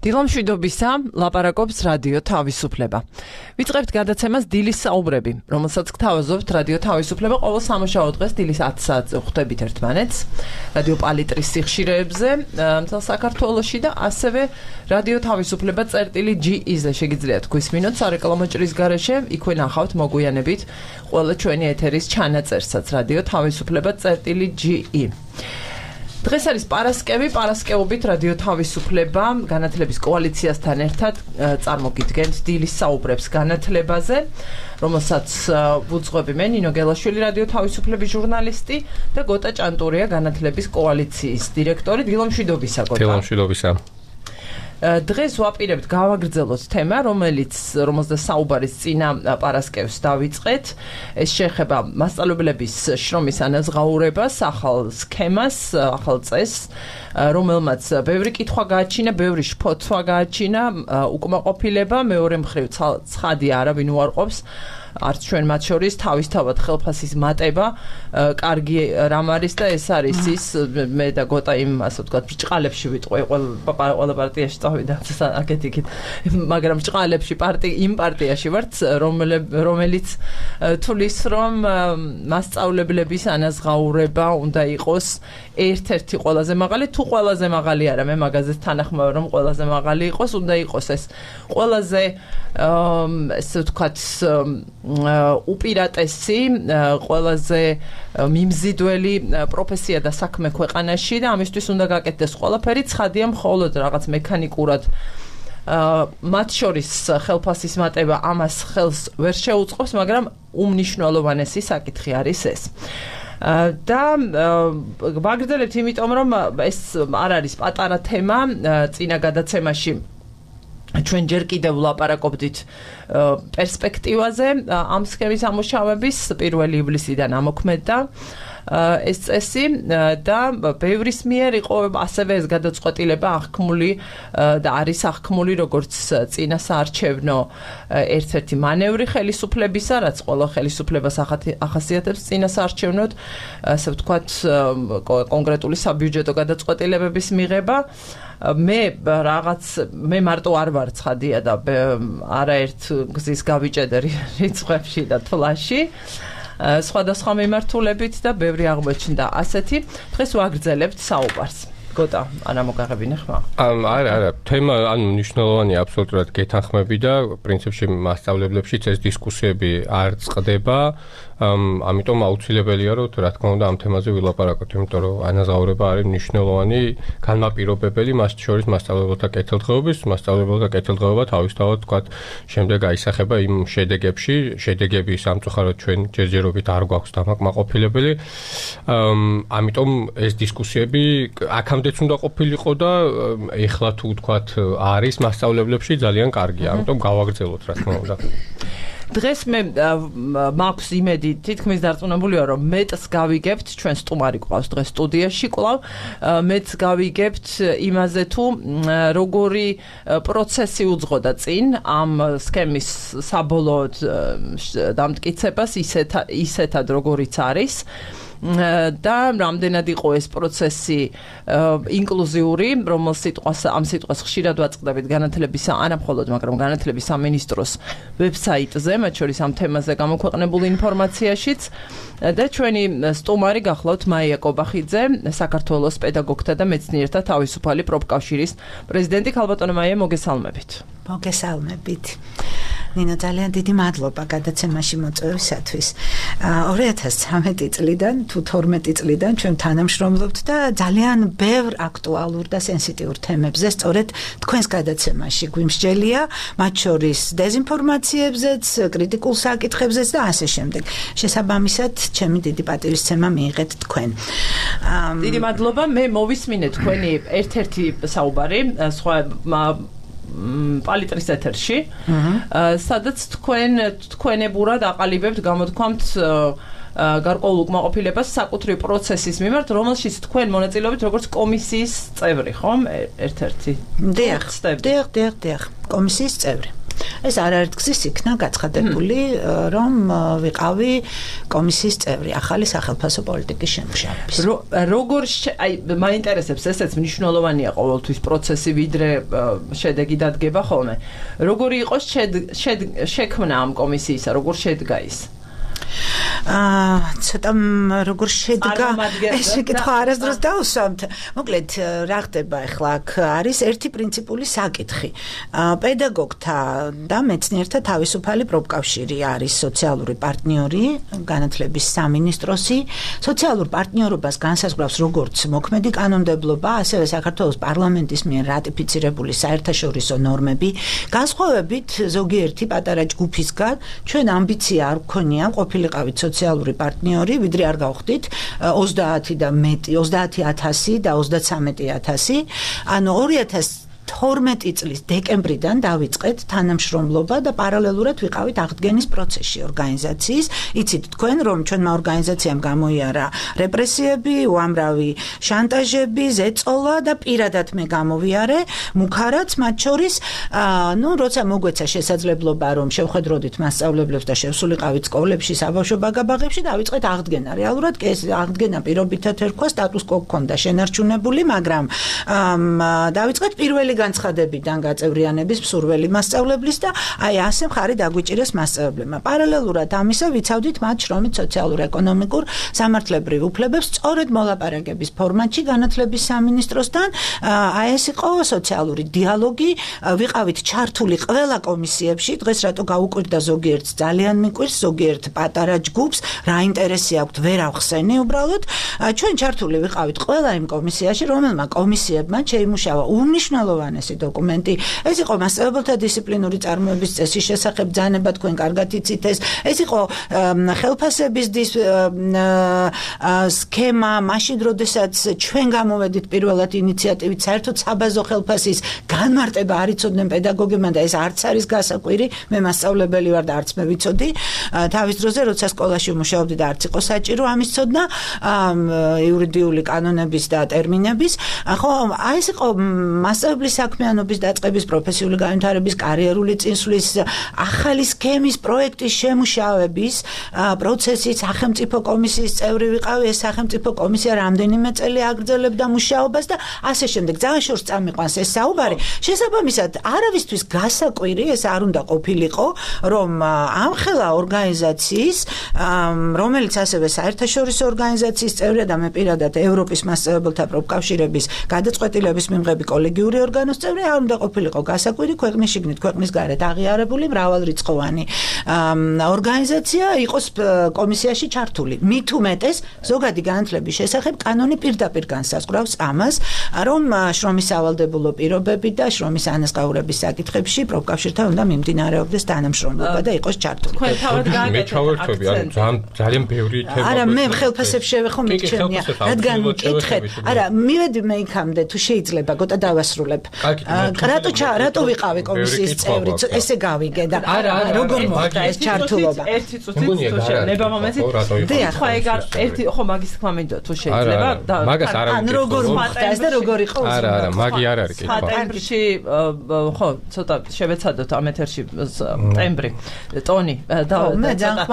დილამშვიდობისა, ლაპარაკობს რადიო თავისუფლება. ვიწყებთ გადაცემას დილის საუბრები, რომელსაც გთავაზობთ რადიო თავისუფლება ყოველ სამუშაო დღეს დილის 10 საათზე ხვდებით ერთმანეთს. რადიო პალიტრის სიხშირეებზე მთელ საქართველოში და ასევე რადიო თავისუფლება წერტილი.ge-ზე შეგიძლიათ გვისმინოთ სარეკლამო ჭრის გარეშე, იქვე ნახავთ მოგვიანებით ყველა ჩვენი ეთერის ჩანაწერსაც რადიო თავისუფლება წერტილი.ge. დღეს არის პარასკევობით რადიო თავისუფლება განათლების კოალიციასთან ერთად წარმოგიდგენთ დილის საუბრებს განათლებაზე, რომელსაც ვუძღვები მე ნინო გელაშვილი რადიო თავისუფლების ჟურნალისტი და გოტა ჭანტურია განათლების კოალიციის დირექტორი. დილამშვიდობისა გოტა. დილამშვიდობისა. დღეს ვაპირებთ გავაგრძელოთ თემა, რომელზეც საუბარის წინა პარასკევს დავიწყეთ. ეს შეეხება მასწავლებლების შრომის ანაზღაურებას, ახალ სქემას, ახალ წესს, რომელმაც ბევრი კითხვა გააჩინა, ბევრი შფოთვა გააჩინა, უკმაყოფილება, მეორე მხრივ ცხადია არავინ უარყოფს. არც ჩვენ მათ შორის თავისთავად ხელფასის მატება კარგი რამ არის და ეს არის ის მე და გოტა იმ ასე ვთქვათ ბრჭყალებში ვიტყვი ყველა პარტიაში წავიდა აკეთიკით მაგრამ ბრჭყალებში იმ პარტიაში ვართ რომელიც თulis რომ მასწავლებლების ანაზღაურება უნდა იყოს ერთ-ერთი ყველაზე მაღალი თუ ყველაზე მაღალი არა მე მაგაზეც თანახმევ რომ ყველაზე მაღალი იყოს უნდა იყოს ეს ყველაზე ესე ვთქვათ უპირატესი ყველაზე მიმზიდველი პროფესია და საქმე ქვეყანაში და ამისთვის უნდა გაკეთდეს ყველაფერი ცხადია მხოლოდ რაღაც მექანიკურად მათ შორის ხელფასის მატება ამას ხელს ვერ შეუწყობს მაგრამ უმნიშვნელოვანესი საკითხი არის ეს და ვაგრძელებთ იმიტომ რომ ეს არ არის პატარა თემა წინა გადაცემაში ჩვენ ჯერ კიდევ ვლაპარაკობდით პერსპექტივაზე ამ სქემის ამუშავების 1 ივლისიდან ამოქმედდა ეს წესი და ბევრის მიერ იყო ასევე ეს გადაწყვეტილება აღქმული და არის აღქმული როგორც წინა საარჩევნო ერთ-ერთი მანევრი ხელისუფლებისა, რაც ყველა ხელისუფლებას ახასიათებს წინა საარჩევნოდ, ასე ვთქვათ, კონკრეტული საბიუჯეტო გადაწყვეტილებების მიღება. მე მარტო არ ვარ ცხადია და არაერთ გზის გავიჭედე რიცხვებში და თვლაში სხვადასხვა მიმართულებით და ბევრი აღმოჩნდა ასეთი. დღეს ვაგრძელებთ საუბარს. გოტა, არა მოგაღებინე ხმა? არა, თემა ანუ მნიშვნელოვანია აბსოლუტურად გეთანხმები და პრინციპში მასწავლებლებშიც ეს დისკუსიები არ წყდება. ამიტომ აუცილებელია რომ რა თქმა უნდა ამ თემაზე ვილაპარაკოთ, იმიტომ რომ ანაზღაურება არის მნიშვნელოვანი განმაპირობებელი მას შორის მასწავლებელთა კეთილდღეობის, მასწავლებელთა კეთილდღეობა თავისთავად თქვათ შემდეგ აისახება იმ შედეგებში, შედეგები სამწუხაროდ ჩვენ ჯერჯერობით არ გვაქვს დამაკმაყოფილებელი. ამიტომ ეს დისკუსიები აქამდეც უნდა ყოფილიყო და ეხლა თუ თქვათ არის მასწავლებლებში ძალიან კარგია, ამიტომ გავაგრძელოთ რა თქმა უნდა. დღეს მე მაქვს იმედი თითქმის დარწმუნებულია რომ მეტს გავიგებთ ჩვენ სტუმარი ყავს დღეს სტუდიაში კვლავ მეტს გავიგებთ იმაზე თუ როგორი პროცესი უძღოდა წინ ამ სქემის საბოლოოდ დამტკიცებას ისეთად როგორიც არის და რამდენად იყო ეს პროცესი ინკლუზიური, ამ სიტყვას ხშირად ვაწყდებით განათლებისა, არა მხოლოდ, მაგრამ განათლების სამინისტროს ვებსაიტზე, მათ შორის ამ თემაზე გამოქვეყნებულ ინფორმაციაშიც და ჩვენი სტუმარი გახლავთ მაია კობახიძე, საქართველოს პედაგოგთა და მეცნიერთა თავისუფალი პროფკავშირის პრეზიდენტი. ქალბატონო მაია, მოგესალმებით. მოგესალმებით. ნინო, ძალიან დიდი მადლობა გადაცემაში მოწვევისათვის. 2013 წლიდან თუ 12 წლიდან ჩვენ თანამშრომლობთ და ძალიან ბევრ აქტუალურ და სენსიტიურ თემებზე სწორედ თქვენს გადაცემაში გვიმსჯელია, მათ შორის დეზინფორმაციებზეც, კრიტიკულ საკითხებზეც და ასე შემდეგ. შესაბამისად, ჩემი დიდი პატივისცემა მიიღეთ თქვენ. დიდი მადლობა, მე მოვისმინე თქვენი ერთ-ერთი საუბარი, სხვა პალიტრის ეთერში, სადაც თქვენებურად აყალიბებთ გამოთქვამთ გარკვეულ უკმაყოფილებას საკუთრივ პროცესის მიმართ, რომელშიც თქვენ მონაწილეობით როგორც კომისიის წევრი, ხომ? ერთ-ერთი. დიახ, კომისიის წევრი. ეს არაერთგზის იქნა გაცხადებული, რომ ვიყავი კომისიის წევრი ახალი სახელმწიფო პოლიტიკის შემუშავების. როგორ აი მაინტერესებს ესეც მნიშვნელოვანია ყოველთვის პროცესი ვიდრე შედეგი დადგება ხოლმე. როგორი იყო შექმნა ამ კომისიისა, როგორ შედგა ის? ცოტა როგორ შედგა ეს კითხვა არასდროს დავუსვამთ. მოკლედ რა ხდება ახლა აქ არის ერთი პრინციპული საკითხი. პედაგოგთა და მეცნიერთა თავისუფალი პროფკავშირი არის სოციალური პარტნიორი, განათლების სამინისტროსი. სოციალურ პარტნიორობას განსაზღვრავს როგორც მოქმედი კანონმდებლობა, ასევე საქართველოს პარლამენტის მიერ რატიფიცირებული საერთაშორისო ნორმები. განსხვავებით ზოგიერთი პატარა ჯგუფისგან, ჩვენ ამბიცია არ გქონია ყოფილიყავით სოციალური პარტნიორი, ვიდრე არ გავხდით 30 და მეტი 30000 და 33000. ანუ 2012 წლის დეკემბრიდან დავიწყეთ თანამშრომლობა და პარალელურად ვიყავით აღდგენის პროცესში ორგანიზაციის. იცით თქვენ, რომ ჩვენმა ორგანიზაციამ გამოიარა რეპრესიები, უამრავი შანტაჟები, ზეწოლა და პირადად მე გამოვიარე მუქარაც მათ შორის. როცა მოგვეცა შესაძლებლობა, რომ შევხედროდით მასწავლებლებს და შევსულიყავით სკოლებში, საბავშვო ბაგაბაღებში, დავიწყეთ აღდგენა. რეალურად კი ეს აღდგენა პირობითად ერქვა, სტატუს კო ჰქონდა შენარჩუნებული, მაგრამ დავიწყეთ პირველი განცხადებიდან გაწევრიანების მსურველი მასწავლებლის და აი ასე მხარი დაგვიჭირეს მასწავლებლებმა. პარალელურად ამისა ვიცავდით მათ შრომით სოციალურ-ეკონომიკურ სამართლებრივ უფლებებს სწორედ მოლაპარაკების ფორმატში განათლების სამინისტროსთან. აი ეს იყო სოციალური დიალოგი, ვიყავით ჩართული ყველა კომისიებში. დღეს რატო გაუკვირდა ზოგიერთს ძალიან მიკვირს, ზოგიერთ პატარა ჯგუფს, რა ინტერესი აქვთ, ვერ ავხსენი უბრალოდ. ჩვენ ჩართული ვიყავით ყველა იმ კომისიაში, რომელმა კომისიებმა შეიმუშავა უმნიშვნელოვანესი დოკუმენტი. ეს იყო მასწავლებელთა დისციპლინური წარმოების წესის შესახებ ბრძანება, თქვენ კარგად იცით ეს. ეს იყო ხელფასების სქემა, მაშინ როდესაც ჩვენ გამოვედით პირველად ინიციატივით საერთოდ საბაზო ხელფასის განმარტება არ იცოდნენ პედაგოგებმა და ეს არც არის გასაკვირი. მე მასწავლებელი ვარ და არც მე ვიცოდი. თავის დროზე როცა სკოლაში ვმუშაობდი და არც იყო საჭირო ამის ცოდნა იურიდიული კანონების და ტერმინების. ხო, აი ეს იყო მასწავლებლის საქმიანობის დაწყების, პროფესიული განვითარების, კარიერული წინსვლის, ახალი სქემის პროექტის შემუშავების პროცესი. სახელმწიფო კომისიის წევრი ვიყავი. ეს სახელმწიფო კომისია რამდენიმე წელი აგრძელებდა მუშაობას და ასე შემდეგ. ძალიან შორს წამიყვანს ეს საუბარი. შესაბამისად, არავისთვის გასაკვირი ეს არ უნდა ყოფილიყო, რომ ამხელა ორგანიზაციის, რომელიც ასევე საერთაშორისო ორგანიზაციის წევრია და მე პირადად ევროპის მასწავლებელთა პროფკავშირების გადაწყვეტილების მიმღები კოლეგიური ორგანოს წევრი, არ უნდა ყოფილიყო გასაკვირი ქვეყნის შიგნით, ქვეყნის გარეთ აღიარებული მრავალრიცხოვანი ორგანიზაცია იყოს კომისიაში ჩართული. მით უმეტეს ზოგადი განათლების შესახებ კანონი პირდაპირ განსაზღვრავს ამას, რომ შრომის სავალდებულო პირობები და შრომის ანაზღაურების საკითხებში პროფკავშირთან უნდა მიმდინარეობდეს თანამშრომლობა და იყოს ჩართული. თქვენ თავად გააკეთეთ აქცენტი. ძალიან ბევრი თემა. არა, მე ხელფასებს შევეხო მიჩვენია, რადგან მკითხეთ. არა, მივედი მე იქამდე თუ შეიძლება, გოტა დავასრულებ. რატო ვიყავი კომისიის წევრი? ესე გავიგე და როგორ მოხდა ეს ჩართულობა? ერთი წუთი ნებამომეცი. თქვა ეგ არ ერთი ხო მაგის თქმა მინდო თუ შეიძლება და მაგას არ ან როგორ მოხდა ეს და როგორ იყო უზრუნველყოფა? არა, მაგი არ არის კითხვა. ტემბრში ხო, ცოტა შევეცადოთ ამ ეთერში ტემბრი, ტონი და მე ძალიან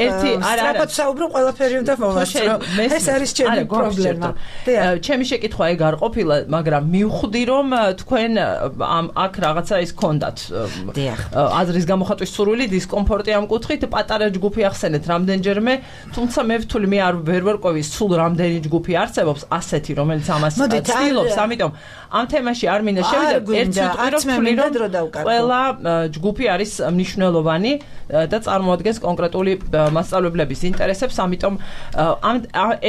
ერთი სწრაფად საუბრობ ყველაფერი უნდა მოვასწრო. ეს არის ჩემი პრობლემა. ჩემი შეკითხვა ეგ არ ყოფილა, მაგრამ მივხვდი რომ თქვენ აქ რაღაცა ის გქონდათ. აზრის გამოხატვის სურვილი, დისკომფორტი ამ კუთხით, პატარა ჯგუფი ახსენეთ რამდენჯერმე, თუმცა მე ვთვლი მე არ ვერ ვერკვევი სულ რამდენი ჯგუფი არსებობს ასეთი, რომელიც ამას ცდილობს, ამიტომ ამ თემაში არ მინდა შევიდე ერთი წუთი რომ ყველა ჯგუფი არის მნიშვნელოვანი და წარმოადგენს კონკრეტული მასწავლებლების ინტერესებს, ამიტომ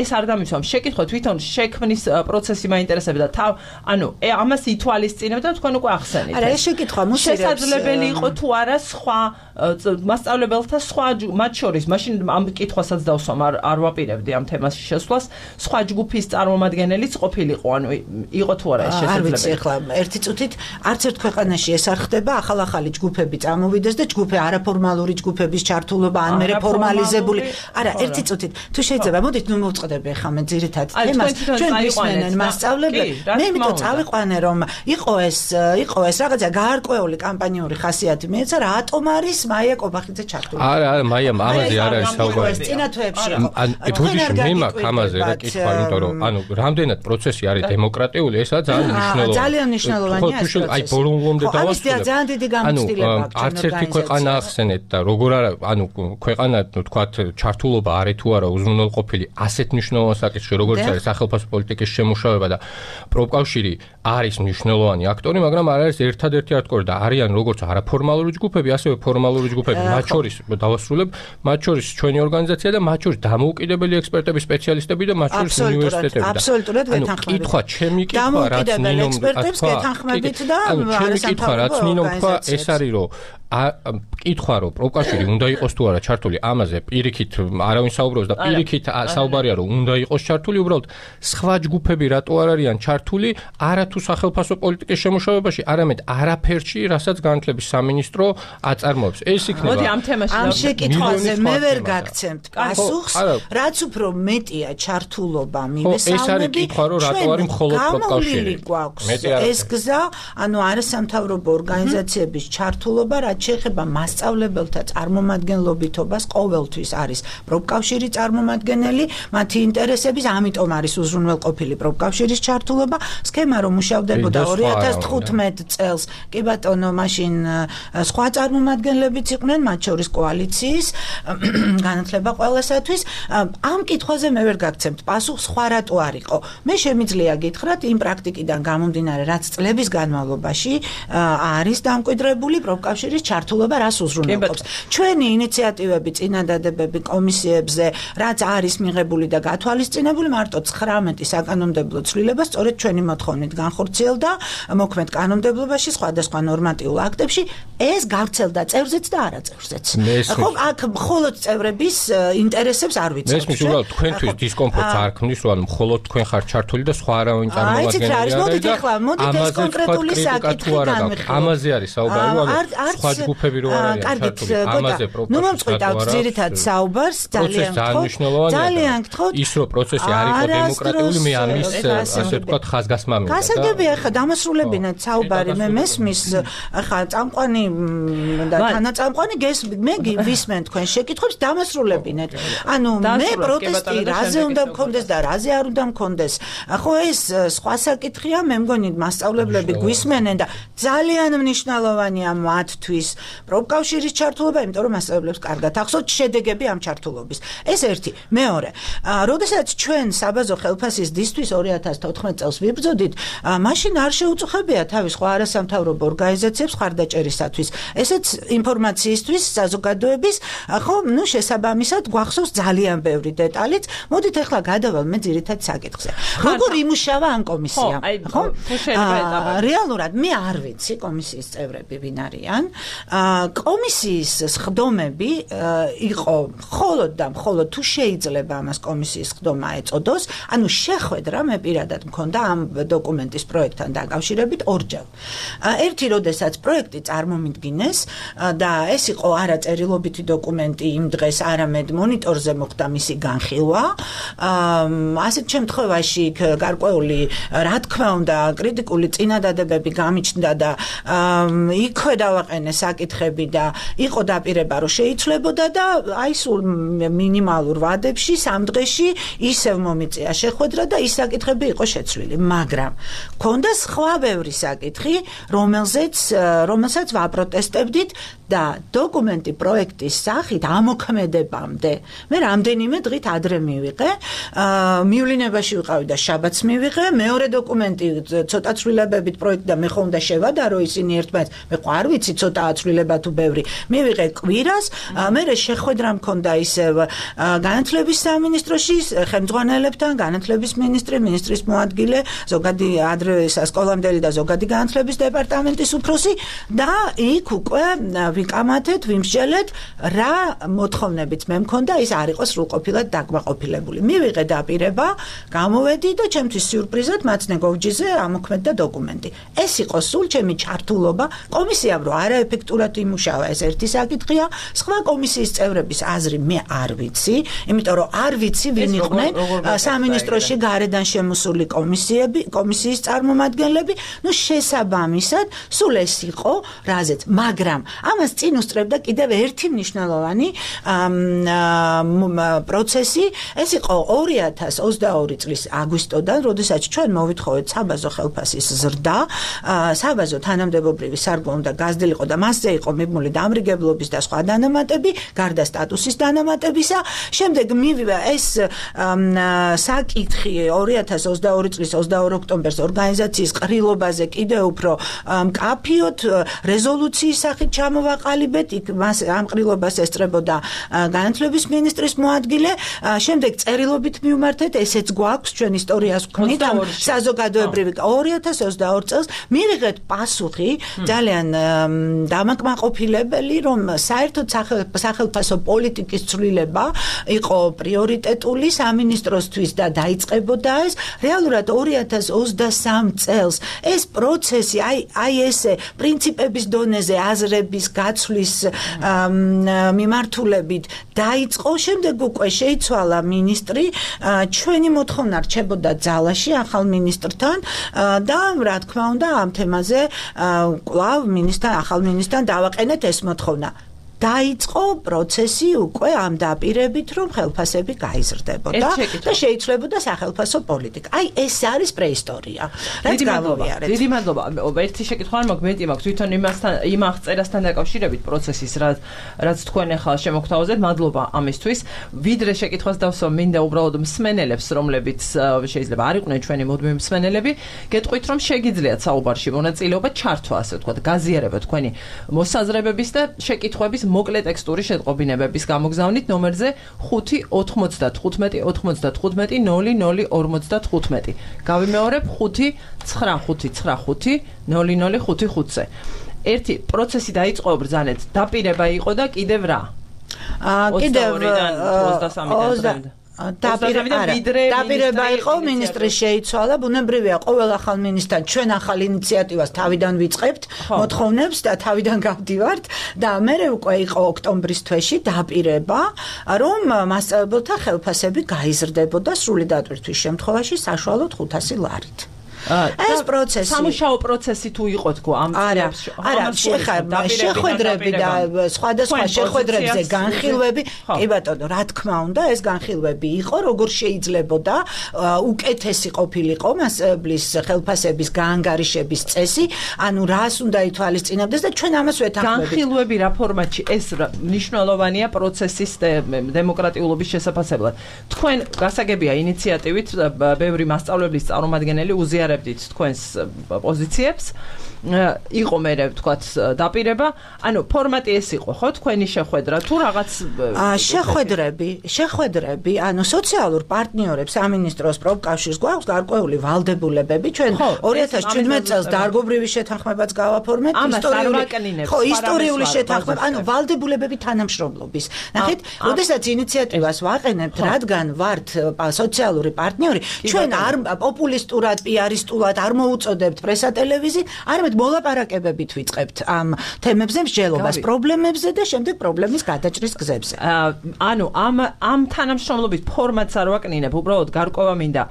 ეს არ დამისვამ. შეკითხვა თვითონ შექმნის პროცესი მაინტერესებდა და ანუ ამას ითვალისწინებდა თქვენ უკვე ახსენეთ. არა, ეს შეკითხვა მოსირებს. შესაძლებელი იყო თუ არა სხვა მასწავლებელთა სხვა მათ შორის მაშინ ამ კითხვასაც დავსვამ არ ვაპირებდი ამ თემაში შესვლას სხვა ჯგუფის წარმომადგენელიც ყოფილიყო ანუ იყო თუ არა ეს შესაძლებელი არ ვიცი ახლა ერთი წუთით არც ერთ ქვეყანაში ეს არ ხდება ახალ-ახალი ჯგუფები წამოვიდეს და ჯგუფი არაფორმალური ჯგუფების ჩართულობა ან მე ფორმალიზებული არა ერთი წუთით თუ შეიძლება მოდით ნუ მოვწყდები ახლა მე ძირითად თემას ჩვენ გვისმენენ მასწავლებლები მე იმიტომ წავიყვანე რომ იყო ეს რაღაცა გაარკვეული კამპანიური ხასიათი მეეცა რატომ არის მაია კობახიძე ჩართული არა მაია ამაზე არ არის საუბარი წინა თვეებში იყო ბუდიში მე მაქვს ამაზე რა კითხვა იმიტომ რომ ანუ რამდენად პროცესი არის დემოკრატიული ესაა ძალიან მნიშვნელოვანია აი ბოლომდე დავასრულებ ძალიან დიდი გამოცდილება აქვს არც ერთი ქვეყანა ახსენეთ და როგორ არა ანუ ქვეყანა თქვათ ჩართულობა არის თუ არა უზრუნველყოფილი ასეთ მნიშვნელოვან საკითხში როგორც არის სახელმწიფო პოლიტიკის შემუშავება და პროფკავშირი არის მნიშვნელოვანი აქტორი მაგრამ არ არის ერთადერთი აქტორი და არიან როგორც არაფორმალური ჯგუფები ასევე ფორმალური ჯგუფები მათ შორის დავასრულებ მათ შორის ჩვენი ორგანიზაცია და მათ შორის დამოუკიდებელი ექსპერტები სპეციალისტები და მათ შორის უნივერსიტეტები და აბსოლუტურად გეთანხმებით კითხვა ჩემი კითხვა რაც ნინომ ექსპერტებს გეთანხმებით და ჩემი კითხვა რაც ნინომ თქვა ეს არის რომ კითხვა რომ პროფკავშირი უნდა იყოს თუ არა ჩართული ამაზე პირიქით არავინ საუბრობს და პირიქით საუბარია რომ უნდა იყოს ჩართული უბრალოდ სხვა ჯგუფები რატო არ არიან ჩართული არა თუ სახელმწიფო პოლიტიკის შემუშავებაში არამედ არაფერში რასაც განათლების სამინისტრო აწარმოებს ეს იქნება მოდი ამ თემაში ამ შეკითხვაზე მე ვერ გაგცემთ პასუხს რაც უფრო მეტია ჩართულობა მივესალმები ეს არის კითხვა რომ რატო არის მხოლოდ პროფკავშირი ეს გზა ანუ არასამთავრობო ორგანიზაციების ჩართულობა რაც შეეხება მასწავლებელთა წარმომადგენლობითობას ყოველთვის არის პროფკავშირი წარმომადგენელი მათი ინტერესების ამიტომ არის უზრუნველყოფილი პროფკავშირის ჩართულობა სქემა რომ მუშავდებოდა 2015 წელს კი ბატონო მაშინ სხვა წარმომადგენლებიც იყვნენ მათ შორის კოალიციის განათლება ყველასათვის ამ კითხვაზე მე ვერ გაგცემთ პასუხს სხვა რატო არისო მე შემიძლია გითხრათ იმ პრაქტიკიდან გამომდინარე რაც წლების განმავლობაში არის დამკვიდრებული პროფკავშირის ჩართულობა რას უზრუნველყოფს ჩვენი ინიციატივები წინადადებები კომისიებზე რაც არის მიღებული და გათვალისწინებული მარტო 19 საკანონმდებლო ცვლილება სწორედ ჩვენი მოთხოვნით განხორციელდა მოქმედ კანონმდებლობაში სხვადასხვა ნორმატიულ აქტებში ეს გავრცელდა წევრზეც და არაწევრზეც ხო აქ მხოლოდ წევრების ინტერესებს არ ვიცავთ მესმის უბრალოდ თქვენთვის დისკომფორტს არ ქმნის რომ მხოლოდ თქვენ ხართ ჩართული და სხვა არავინ წარმომადგენელი არ არის მოდით ახლა მოდით ეს კონკრეტული საკითხი განვიხილოთ ამაზე არის საუბარი რომ სხვა ჯგუფები რო არ არიან ჩართული ამაზე პროფკავშირი ნუ მომწყვიტავთ ძირითად საუბარს ძალიან გთხოვთ ის რომ პროცესი არ იყო დემოკრატიული მე ამის ასე ვთქვათ ხაზგასმა მინდა გასაგებია ახლა დამასრულებინათ საუბარი მე მესმის ახლა წამყვანი და თანაწამყვანი მე ვისმენ თქვენ შეკითხვებს დამასრულებინეთ ანუ მე პროტესტი რაზე უნდა მქონდეს და რაზე არ უნდა მქონდეს ხო ეს სხვა საკითხია მე მგონი მასწავლებლები გვისმენენ და ძალიან მნიშვნელოვანია მათთვის პროფკავშირის ჩართულობა იმიტომ რომ მასწავლებლებს კარგად ახსოვთ შედეგები ამ ჩართულობის ეს ერთი მეორე როდესაც ჩვენ საბაზო ხელფასის დისთვის 2014 წელს ვიბრძოდით მაშინ არ შეუწუხებია თავის სხვა არასამთავრობო ორგანიზაციებს ხარდაჭერისათვის ესეც ინფორმაციისთვის საზოგადოების ხო ნუ შესაბამისად გვახსოვს ძალიან ბევრი დეტალიც მოდით ახლა გადავალ მე ძირითად საკითხზე როგორ იმუშავა ამ კომისიამ ხო რეალურად მე არ ვიცი კომისიის წევრები ვინ არიან კომისიის სხდომები იყო მხოლოდ და მხოლოდ თუ შეიძლება ამას კომისიის სხდომა ეწოდოს ანუ შეხვედრა მე პირადად მქონდა ამ დოკუმენტის პროექტთან დაკავშირებით ორჯერ ერთი როდესაც პროექტი წარმომიდგინეს და ეს იყო არა წერილობითი დოკუმენტი იმ დღეს არამედ მონიტორზე მოხდა მისი განხილვა ასეთ შემთხვევაში გარკვეული რა თქმა უნდა კრიტიკული წინადადებები გამიჩნდა და იქვე დავაყენე საკითხები და იყო დაპირება რომ შეიცვლებოდა და აი სულ მინიმალურ ვადებში სამ დღეში ისევ მომიწია შეხვედრა და ის საკითხები იყო შეცვლილი მაგრამ ქონდა სხვა ბევრი საკითხი რომელსაც ვაპროტესტებდით და დოკუმენტი პროექტის სახით ამოქმედებამდე მე რამდენიმე დღით ადრე მივიღე მივლინებაში ვიყავი და შაბათს მივიღე მეორე დოკუმენტი ცოტა ცვლილებებით პროექტი და მე ხომ უნდა შევადარო ისინი ერთმანეთს მე ყო არ ვიცი ცოტაა გაცვლილება თუ ბევრი მივიღე კვირას მე შეხვედრა მქონდა ისევ განათლების სამინისტროში ხელმძღვანელებთან განათლების მინისტრის მოადგილე ზოგადი ადრე სასკოლამდელი და ზოგადი განათლების დეპარტამენტის უფროსი და იქ უკვე ვიკამათეთ ვიმსჯელეთ რა მოთხოვნებით მე მქონდა ის არ იყოს სრულყოფილად დაკმაყოფილებული მივიღე დაპირება გამოვედი და ჩემთვის სიურპრიზად მაცნე გოვჯიზე ამოქმედდა დოკუმენტი ეს იყო სულ ჩემი ჩართულობა კომისიამ რო არაეფექტურად იმუშავა ეს ერთი საკითხია სხვა კომისიის წევრების აზრი მე არ ვიცი იმიტომ რომ არ ვიცი ვინ იყვნენ სამინისტროში გარედან შემოსული კომისიის წარმომადგენლები ნუ შესაბამისად სულ ეს იყო რაზეც მაგრამ ამას წინ უსწრებდა კიდევ ერთი მნიშვნელოვანი პროცესი ეს იყო 2022 წლის აგვისტოდან როდესაც ჩვენ მოვითხოვეთ საბაზო ხელფასის ზრდა საბაზო თანამდებობრივი სარგო უნდა გაზრდილიყო და მასზე იყო მიბმული დამრიგებლობის და სხვა დანამატები გარდა სტატუსის დანამატებისა შემდეგ მივიდა ეს საკითხი 2022 წლის 22 ოქტომბერს ორგანიზაციის ყრილობაზე კიდევ უფრო მკაფიოდ რეზოლუციის სახით ჩამოვაყალიბეთ იქ მას ამ ყრილობას ესწრებოდა განათლების მინისტრის მოადგილე შემდეგ წერილობით მივმართეთ ესეც გვაქვს ჩვენ ისტორიას ვქმნით ამ საზოგადოებრივი 2022 წელს მივიღეთ პასუხი ძალიან დამაკმაყოფილებელი რომ საერთოდ სახელმწიფო პოლიტიკის ცვლილება იყო პრიორიტეტული სამინისტროსთვის და დაიწყებოდა ეს რეალურად 2023 წელს ეს პროცესი აი ესე პრინციპების დონეზე აზრების გაცვლის მიმართულებით დაიწყო შემდეგ უკვე შეიცვალა მინისტრი ჩვენი მოთხოვნა რჩებოდა ძალაში ახალ მინისტრთან და რა თქმა უნდა ამ თემაზე კვლავ ახალ მინისტრთან დავაყენეთ ეს მოთხოვნა დაიწყო პროცესი უკვე ამ დაპირებით რომ ხელფასები გაიზრდებოდა და შეიცვლებოდა სახელმწიფო პოლიტიკა. აი ეს არის პრეისტორია. რაც გავუვიარეთ. დიდი მადლობა. ერთი შეკითხვა არ მოგმეტი მაქვს თვითონ იმ აღწერასთან დაკავშირებით პროცესის რაც თქვენ ახლა შემოგთავაზეთ. მადლობა ამისთვის. ვიდრე შეკითხვას დავსვა მინდა უბრალოდ მსმენელებს რომლებიც შეიძლება არ იყვნენ ჩვენი მუდმივი მსმენელები გეტყვით რომ შეგიძლიათ საუბარში მონაწილეობა ჩართვა ასე ვთქვათ გაზიარება თქვენი მოსაზრებების და შეკითხვების მოკლე ტექსტური შეტყობინებების გამოგზავნით ნომერზე 595-95-0055-0055-ზე. გავიმეორებ 595-95-0055-ზე. ერთი პროცესი დაიწყო ბრძანეთ, დაპირება იყო და კიდევ რა? კიდევ 23-დან დაპირება იყო მინისტრის შეიცვალა ბუნებრივია ყოველ ახალ მინისტრთან ჩვენ ახალ ინიციატივას თავიდან ვიწყებთ მოთხოვნებს და თავიდან გავდივართ და მერე უკვე იყო ოქტომბრის თვეში დაპირება რომ მასწავლებელთა ხელფასები გაიზრდებოდა სრული დატვირთვის შემთხვევაში საშუალოდ 500 ლარით ეს პროცესი სამუშაო პროცესი თუ იყო თქო ამ წლებში არა შეხვედრები და სხვადასხვა შეხვედრებზე განხილვები კი ბატონო რა თქმა უნდა ეს განხილვები იყო როგორ შეიძლებოდა უკეთესი ყოფილიყო მასწავლებლის ხელფასების გაანგარიშების წესი ანუ რას უნდა ითვალისწინებდეს და ჩვენ ამას ვეთანხმებით განხილვები რა ფორმატში ეს მნიშვნელოვანია პროცესის დემოკრატიულობის შესაფასებლად თქვენ გასაგებია ინიციატივით ბევრი მასწავლებლის წარმომადგენელი უზიარებდით თქვენს პოზიციებს იყო მე ვთქვათ დაპირება ანუ ფორმატი ეს იყო ხო თქვენი შეხვედრა თუ რაღაც შეხვედრები ანუ სოციალურ პარტნიორებს სამინისტროს პროფკავშირს გვაქვს გარკვეული ვალდებულებები ჩვენ 2017 წელს დარგობრივი შეთანხმებაც გავაფორმეთ ისტორიული შეთანხმება ანუ ვალდებულებები თანამშრომლობის ნახეთ როდესაც ინიციატივას ვაყენებთ რადგან ვართ სოციალური პარტნიორი ჩვენ არ პოპულისტურად პიარისტულად არ მოუწოდებთ პრესა ტელევიზიით არამედ მოლაპარაკებებით ვიწყებთ ამ თემებზე მსჯელობას პრობლემებზე და შემდეგ პრობლემის გადაჭრის გზებზე ანუ ამ თანამშრომლობის ფორმატს არ ვაკნინებ უბრალოდ გარკვევა მინდა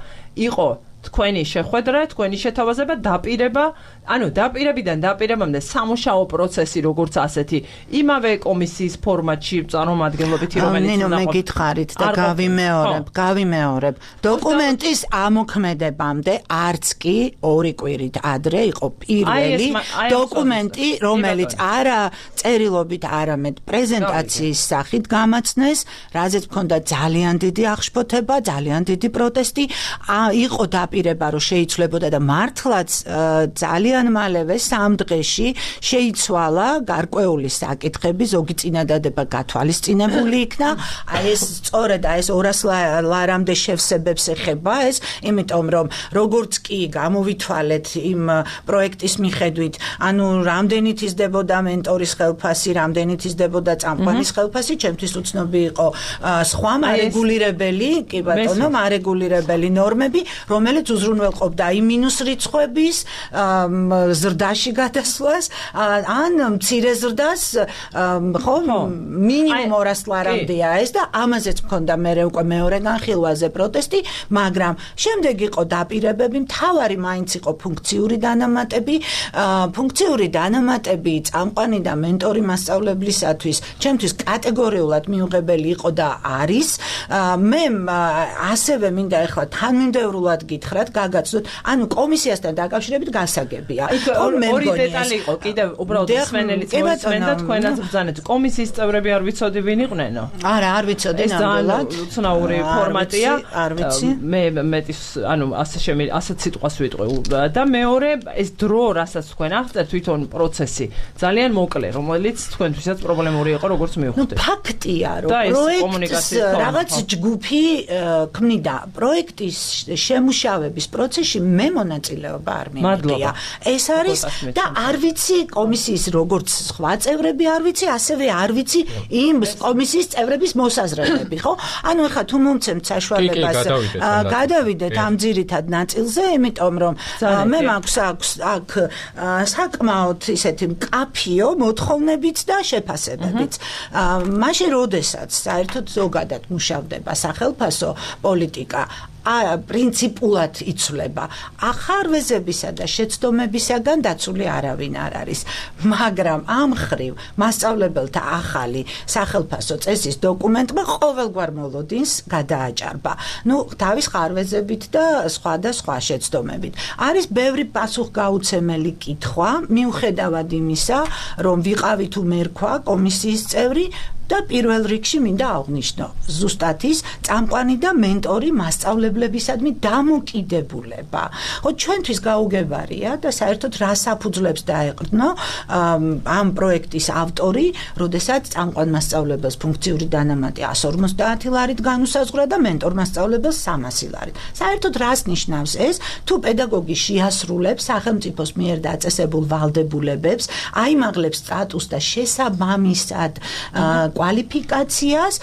იყო თქვენი შეხვედრა, თქვენი შეთავაზება, დაპირება, ანუ დაპირებიდან დაპირებამდე სამუშაო პროცესი როგორც ასეთი, იმავე კომისიის ფორმატში წარმომადგენლობითი რომელიც უნდა მე გითხარით და გავიმეორებ. დოკუმენტის ამოქმედებამდე არც კი 2 კვირით ადრე იყო პირველი დოკუმენტი, რომელიც არა წერილობით, არამედ პრეზენტაციის სახით გამაცნეს, რაზეც მქონდა ძალიან დიდი აღშფოთება, ძალიან დიდი პროტესტი, იყო დაპირება რომ შეიცვლებოდა და მართლაც ძალიან მალევე 3 დღეში შეიცვალა გარკვეული საკითხები, ზოგი წინადადება გათვალისწინებული იქნა. აი ეს სწორედ ეს 200 ლარამდე შევსებებს ეხება ეს, იმიტომ რომ როგორც კი გამოვითვალეთ იმ პროექტის მიხედვით, ანუ რამდენით იზრდებოდა მენტორის ხელფასი, რამდენით იზრდებოდა წამყვანის ხელფასი, ჩემთვის უცნობი იყო სხვა მარეგულირებელი, კი ბატონო, მარეგულირებელი ნორმები, რომელიც უზრუნველყოფდა იმ მინუს რიცხვების ზრდაში გადასვლას, ან მცირე ზრდას, ხო, მინიმუმ 200 ლარამდეა ეს და ამაზეც მქონდა მერე უკვე მეორე განხილვაზე პროტესტი, მაგრამ შემდეგ იყო დაპირებები, მთავარი მაინც იყო ფუნქციური დანამატები, წამყვანი და მენტორი მასწავლებლისათვის, ჩემთვის კატეგორიულად მიუღებელი იყო და არის. მე ასევე მინდა ახლა თანმიმდევრულად გითხრათ, გაგაცნოთ, ანუ კომისიასთან დაკავშირებით გასაგებია. ორი დეტალი იყო კიდევ უბრალოდ სვენელიც მოისმენდა თქვენაც ბრძანეთ. კომისიის წევრები არ ვიცოდი ვინ იყვნენო? არა, არ ვიცოდი ნამდვილად. ეს უცნაური ფორმატია. არ ვიცი. მე მეტის, ანუ ასეთ სიტყვას ვიტყვი და მეორე ეს დრო, რასაც თქვენ აღწერთ, თვითონ პროცესი ძალიან მოკლე, რომელიც თქვენთვისაც პრობლემური იყო, როგორც მივხვდით. ფაქტია, რომ პროექტის რაღაც ჯგუფი ქმნიდა პროექტის შემუშავების პროცესში მე მონაწილეობა არ მიმდია. ეს არის და არ ვიცი კომისიის როგორც სხვა წევრები არ ვიცი, ასევე არ ვიცი იმ კომისიის წევრების მოსაზრებები, ხო? ანუ ეხლა თუ მომცემთ საშუალებას გადავიდეთ ამ ძირითად ნაწილზე, იმიტომ რომ მე მაქვს აქ საკმაოდ ისეთი მკაფიო მოთხოვნებიც და შეფასებებიც. მაშინ როდესაც საერთოდ ზოგადად მუშავდება სახელმწიფო პოლიტიკა პრინციპულად იცვლება. ახარვეზებისა და შეცდომებისაგან დაცული არავინ არ არის. მაგრამ ამ ხრივ მასწავლებელთა ახალი სახელმწიფო წესის დოკუმენტმა ყოველგვარ მოლოდინს გადააჭარბა. თავის ხარვეზებით და სხვა შეცდომებით. არის ბევრი პასუხგაუცემელი კითხვა, მიუხედავად იმისა, რომ ვიყავი თუ მერქვა კომისიის წევრი, და პირველ რიგში მინდა აღვნიშნო ზუსტად ის წამყვანი და მენტორი მასწავლებლებისადმი დამოკიდებულება. ხო, ჩვენთვის გაუგებარია და საერთოდ რას აფუძლებს დაეყრდნო ამ პროექტის ავტორი, როდესაც წამყვან მასწავლებელს ფუნქციური დანამატი 150 ლარით განუსაზღვრა და მენტორ მასწავლებელს 300 ლარით. საერთოდ რას ნიშნავს ეს? თუ პედაგოგი შეასრულებს სახელმწიფოს მიერ დაწესებულ ვალდებულებებს, აიმაღლებს სტატუსს და შესაბამისად კვალიფიკაციას,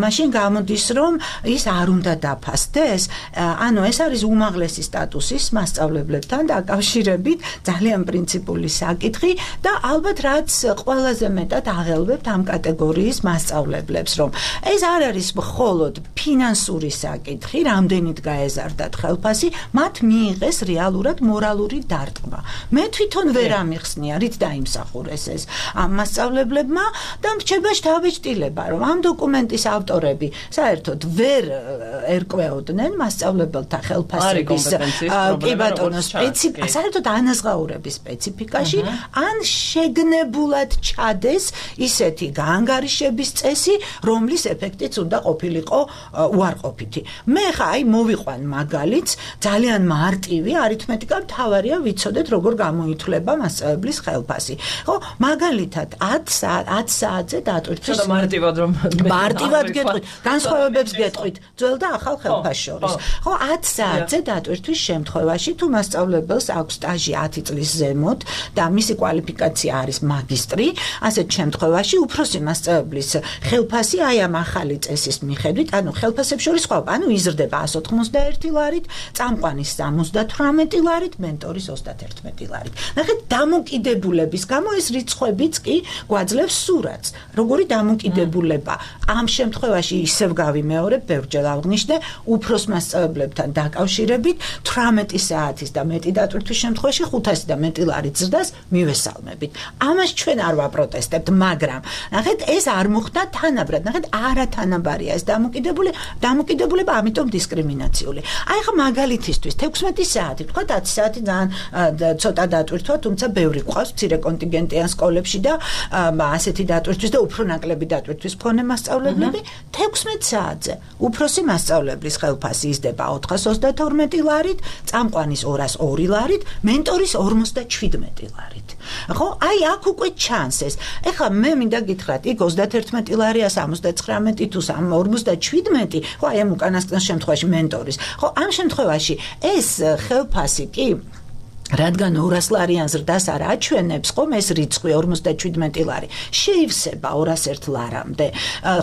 მაშინ გამოდის, რომ ის არ უნდა დაფასდეს. ანუ ეს არის უმაღლესი სტატუსის მასწავლებლებთან დაკავშირებით ძალიან პრინციპული საკითხი და ალბათ რაც ყველაზე მეტად აღელვებთ ამ კატეგორიის მასწავლებლებს, რომ ეს არ არის მხოლოდ ფინანსური საკითხი, რამდენით გაეზარდათ ხელფასი, მათ მიიღეს რეალურად მორალური დარტყმა. მე თვითონ ვერ ამიხსნია, რით დაიმსახურეს ეს ამ მასწავლებლებმა და მრჩება შთაბეჭდილება, რომ ამ დოკუმენტის ავტორები საერთოდ ვერ ერკვეოდნენ მასწავლებელთა ხელფასების კი ბატონო საერთოდ ანაზღაურების სპეციფიკაში, ან შეგნებულად ჩადეს ისეთი გაანგარიშების წესი, რომლის ეფექტიც უნდა ყოფილიყო უარყოფითი. მე ხა აი მოვიყვან მაგალითს, ძალიან მარტივი არითმეტიკა მთავარია ვიცოდეთ როგორ გამოითვლება მასწავლებლის ხელფასი. ხო, მაგალითად 10 საათზე დატვირთვის მარტივად რომ მარტივად გეტყვით, განსხვავებებს გეტყვით, ძველ და ახალ ხელფასს შორის. ხო, 10 საათზე დატვირთვის შემთხვევაში, თუ მასწავლებელს აქვს სტაჟი 10 წლის ზემოთ და მისი კვალიფიკაცია არის მაგისტრი, ასეთ შემთხვევაში უფროსი მასწავლებლის ხელფასი აი ამ ახალი წესის მიხედვით, ანუ ხელფასებს შორის სხვა, ანუ იზრდება 191 ლარით, წამყვანის 78 ლარით, მენტორის 31 ლარით. ნახეთ, დამოკიდებულების გამო ეს რიცხვებიც კი გვაძლევს სურათს. როგორი დამოკიდებულება ამ შემთხვევაში ისევ გავიმეორებ, ბევრჯერ აღნიშნე, უფროს მასწავლებლებთან დაკავშირებით 18 საათის და მეტი დატვირთვის შემთხვევაში 500 და მეტი ლარით ზრდას მივესალმებით. ამას ჩვენ არ ვაპროტესტებთ, მაგრამ ნახეთ, ეს არ მოხდა თანაბრად. ნახეთ, არათანაბარია ეს დამოკიდებულება, ამიტომ დისკრიმინაციული. აი ხა მაგალითისთვის 16 საათი, თქვა 10 საათი ძალიან ცოტა დატვირთვა, თუმცა ბევრი ყავს მცირე კონტინგენტიან სკოლებში და ასეთი დატვირთვის და უფრო ნაკლები დატვირთვის მქონე მასწავლებლები 16 საათზე. უფროსი მასწავლებლის ხელფასი იზრდება 432 ლარით, წამყვანის 202 ლარით, მენტორის 57 ლარით. ხო, აი აქ უკვე ჩანს ეს. ეხლა მე მინდა გითხრათ, იქ 31 ლარია 79 თუ 57, ხო, აი ამ უკანასკნელ შემთხვევაში მენტორის. ხო, ამ შემთხვევაში ეს ხელფასი კი რადგან 200 ლარიან ზრდას არ აჩვენებს, ხომ ეს რიცხვი 57 ლარი შეივსება 201 ლარამდე.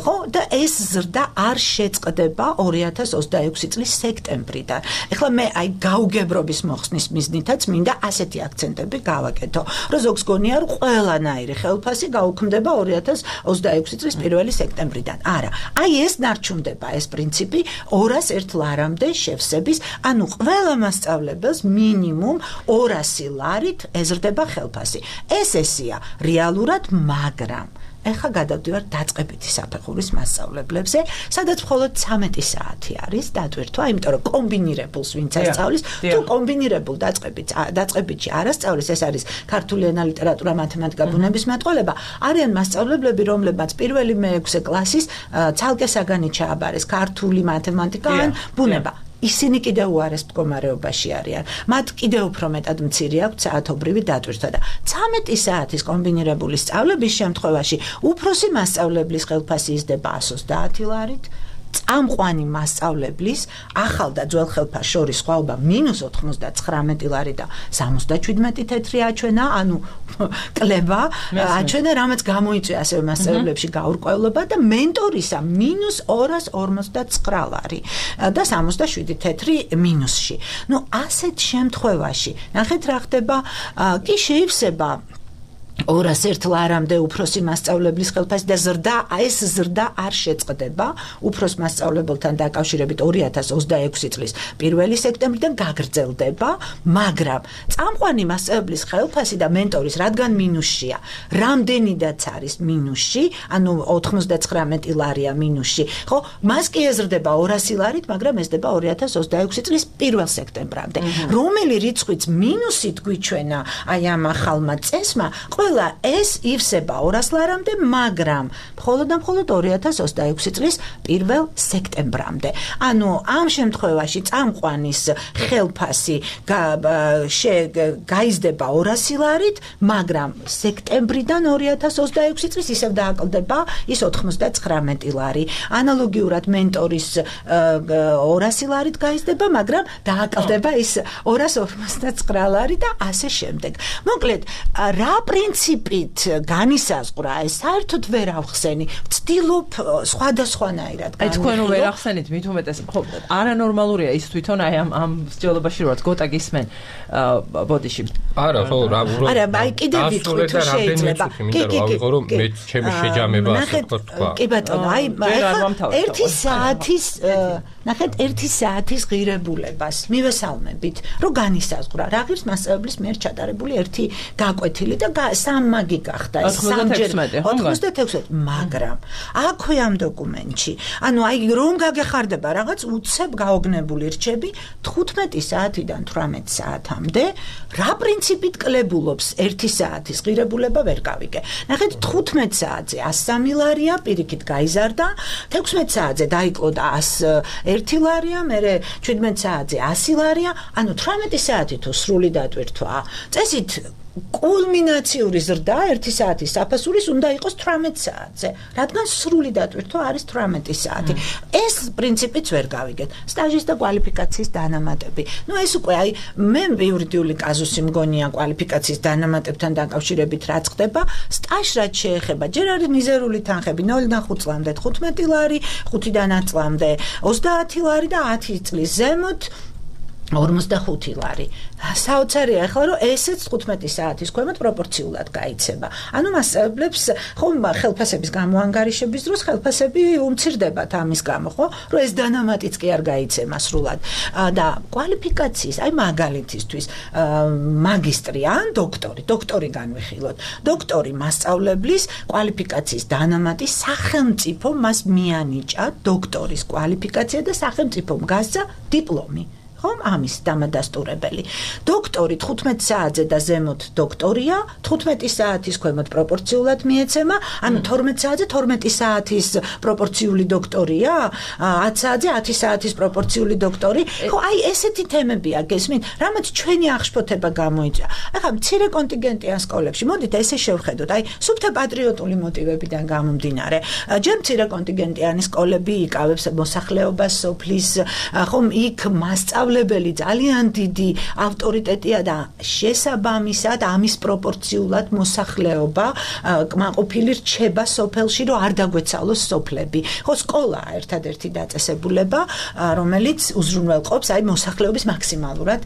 ხო, და ეს ზრდა არ შეწყდება 2026 წლის სექტემბრიდან. ეხლა მე აი გაუგებრობის მოხსნის მიზნითაც მინდა ასეთი აქცენტები გავაკეთო, რომ ზოგს გონია რომ ყველანაირი ხელფასი გაუქმდება 2026 წლის 1 სექტემბრიდან. არა, აი ეს ნარჩუნდება ეს პრინციპი 201 ლარამდე შევსების, ანუ ყველა მასწავლებელს მინიმუმ 200 ლარით ეზრდება ხელფასი. ეს ესია რეალურად, მაგრამ ეხლა გადავდივართ დაწყებითი საფეხურის მასწავლებლებზე, სადაც მხოლოდ 13 საათი არის დატვირთვა, იმიტომ რომ კომბინირებულს ვინც ასწავლის, თუ კომბინირებულ დაწყებითში არ ასწავლის, ეს არის ქართული ენა, ლიტერატურა, მათემატიკა, ბუნებისმეტყველება, არიან მასწავლებლები, რომლებმაც პირველი მე-6 კლასის ცალკე საგანი ჩააბარეს, ქართული, მათემატიკა ან ბუნება. ისინი კიდევ უარეს მდგომარეობაში არიან. მათ კიდევ უფრო მეტად მცირე აქვთ საათობრივი დატვირთვა და 13 საათის კომბინირებული სწავლების შემთხვევაში უფროსი მასწავლებლის ხელფასი იზრდება 130 ლარით, წამყვანი მასწავლებლის ახალ და ძველ ხელფასს შორის სხვაობა -99 ლარი და 77 თეთრი აჩვენა, ანუ კლება აჩვენა, რამაც გამოიწვია ასევე მასწავლებლებში გაურკვევლობა და მენტორისა -259 ლარი და 67 თეთრი მინუსში. ნუ ასეთ შემთხვევაში ნახეთ რა ხდება, კი შეივსება 201 ლარამდე უფროსი მასწავლებლის ხელფასი და ეს ზრდა არ შეწყდება უფროს მასწავლებელთან დაკავშირებით 2026 წლის 1 სექტემბრიდან გაგრძელდება, მაგრამ წამყვანი მასწავლებლის ხელფასი და მენტორის რადგან მინუსშია, რამდენიდაც არის მინუსში, ანუ 99 ლარია მინუსში, ხო, მას კი ეზრდება 200 ლარით, მაგრამ ეზრდება 2026 წლის 1 სექტემბრამდე. რომელი რიცხვიც მინუსით გვიჩვენა აი ამ ახალმა წესმა, ყველა ეს ივსება 200 ლარამდე, მაგრამ მხოლოდ და მხოლოდ 2026 წლის 1 სექტემბრამდე. ანუ ამ შემთხვევაში წამყვანის ხელფასი გაიზრდება 200 ლარით, მაგრამ სექტემბრიდან 2026 წლის ისევ დააკლდება ის 99 ლარი. ანალოგიურად მენტორის 200 ლარით გაიზრდება, მაგრამ დააკლდება ის 259 ლარი და ასე შემდეგ. მოკლედ, რა პრინციპით განისაზღვრა ეს საერთოდ ვერ ავხსენი. ვცდილობ სხვადასხვანაირად აი თქვენ ვერ ახსენით, მით უმეტეს ხო არანორმალურია ის თვითონ აი ამ მსჯელობაში როაც გოტა გისმენ ბოდიში. არა, ხო, რა უბრალოდ. არა, აი კიდევ ვიტყვი თუ შეიძლება. კი, ავიღო რომ მე ჩემი შეჯამება ასე თქვა. კი ბატონო, აი ერთი საათის ნახეთ 1 საათის ღირებულებას მივესალმებით, რომ განისაზღვრა რა ღირს მასწავლებლის მიერ ჩატარებული ერთი გაკვეთილი და სამმაგი გახდა ეს 96, მაგრამ აქვე ამ დოკუმენტში, ანუ აი რომ გაგეხარდება რაღაც უცებ გაოგნებული რჩები 15 საათიდან 18 საათამდე, რა პრინციპით კლებულობს 1 საათის ღირებულება ვერ გავიგე. ნახეთ 15 საათზე 103 ლარია, პირიქით გაიზარდა, 16 საათზე დაიკლოდა 101 ლარია, მერე 17 საათზე 100 ლარია, ანუ 18 საათი თუ სრული დატვირთვა. წესით კულმინაციური ზრდა 1 საათის საფასურის უნდა იყოს 18 საათზე, რადგან სრული დატვირთვა არის 18 საათი. ეს პრინციპიც ვერ გავიგეთ. სტაჟის და კვალიფიკაციის დანამატები. ნუ ეს უკვე აი მე იურიდიული კაზუსი მგონია კვალიფიკაციის დანამატებთან დაკავშირებით რაც ხდება, სტაჟს რაც შეეხება, ჯერ არის მიზერული თანხები 0-დან 5 წლამდე 15 ლარი, 5-დან 10 წლამდე 30 ლარი და 10 წლის ზემოთ 45 ლარი. საოცარია ახლა რომ ესეც 15 საათის ქვემოთ პროპორციულად გაიცემა. ანუ მასწავლებლებს ხომ ხელფასების გამოანგარიშების დროს ხელფასები უმცირდებათ ამის გამო, ხო? რომ ეს დანამატიც კი არ გაიცემა სრულად. და კვალიფიკაციის, აი მაგალითისთვის, მაგისტრი ან დოქტორი განვიხილოთ. დოქტორი მასწავლებლის კვალიფიკაციის დანამატი სახელმწიფო მას მიანიჭა დოქტორის კვალიფიკაცია და სახელმწიფომ გასცა დიპლომი. ხომ ამის დამადასტურებელი. დოქტორი 15 საათზე და ზემოთ დოქტორია, 15 საათის ქვემოთ პროპორციულად მიეცემა, ანუ 12 საათზე 12 საათის პროპორციული დოქტორია, 10 საათზე 10 საათის პროპორციული დოქტორი. ხო, აი ესეთი თემებია გესმით, რამაც ჩვენი აღშფოთება გამოიწვია. ახლა მცირე კონტინგენტიან სკოლებში, მოდით ესე შევხედოთ, აი სუფთა პატრიოტული მოტივებიდან გამომდინარე. ჯერ მცირე კონტინგენტიანი სკოლები იკავებს მოსახლეობას, სოფლის, ხომ იქ მასწავლებელი ძალიან დიდი ავტორიტეტია და შესაბამისად ამის პროპორციულად მოსახლეობა კმაყოფილი რჩება სოფელში, რომ არ დაგვეცალოს სოფლები. ხო, სკოლაა ერთადერთი დაწესებულება, რომელიც უზრუნველყოფს აი მოსახლეობის მაქსიმალურად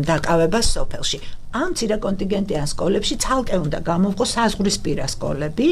დაკავებას სოფელში. ამ მცირე კონტინგენტიან სკოლებში ცალკე უნდა გამოვყო საზღვრისპირა სკოლები,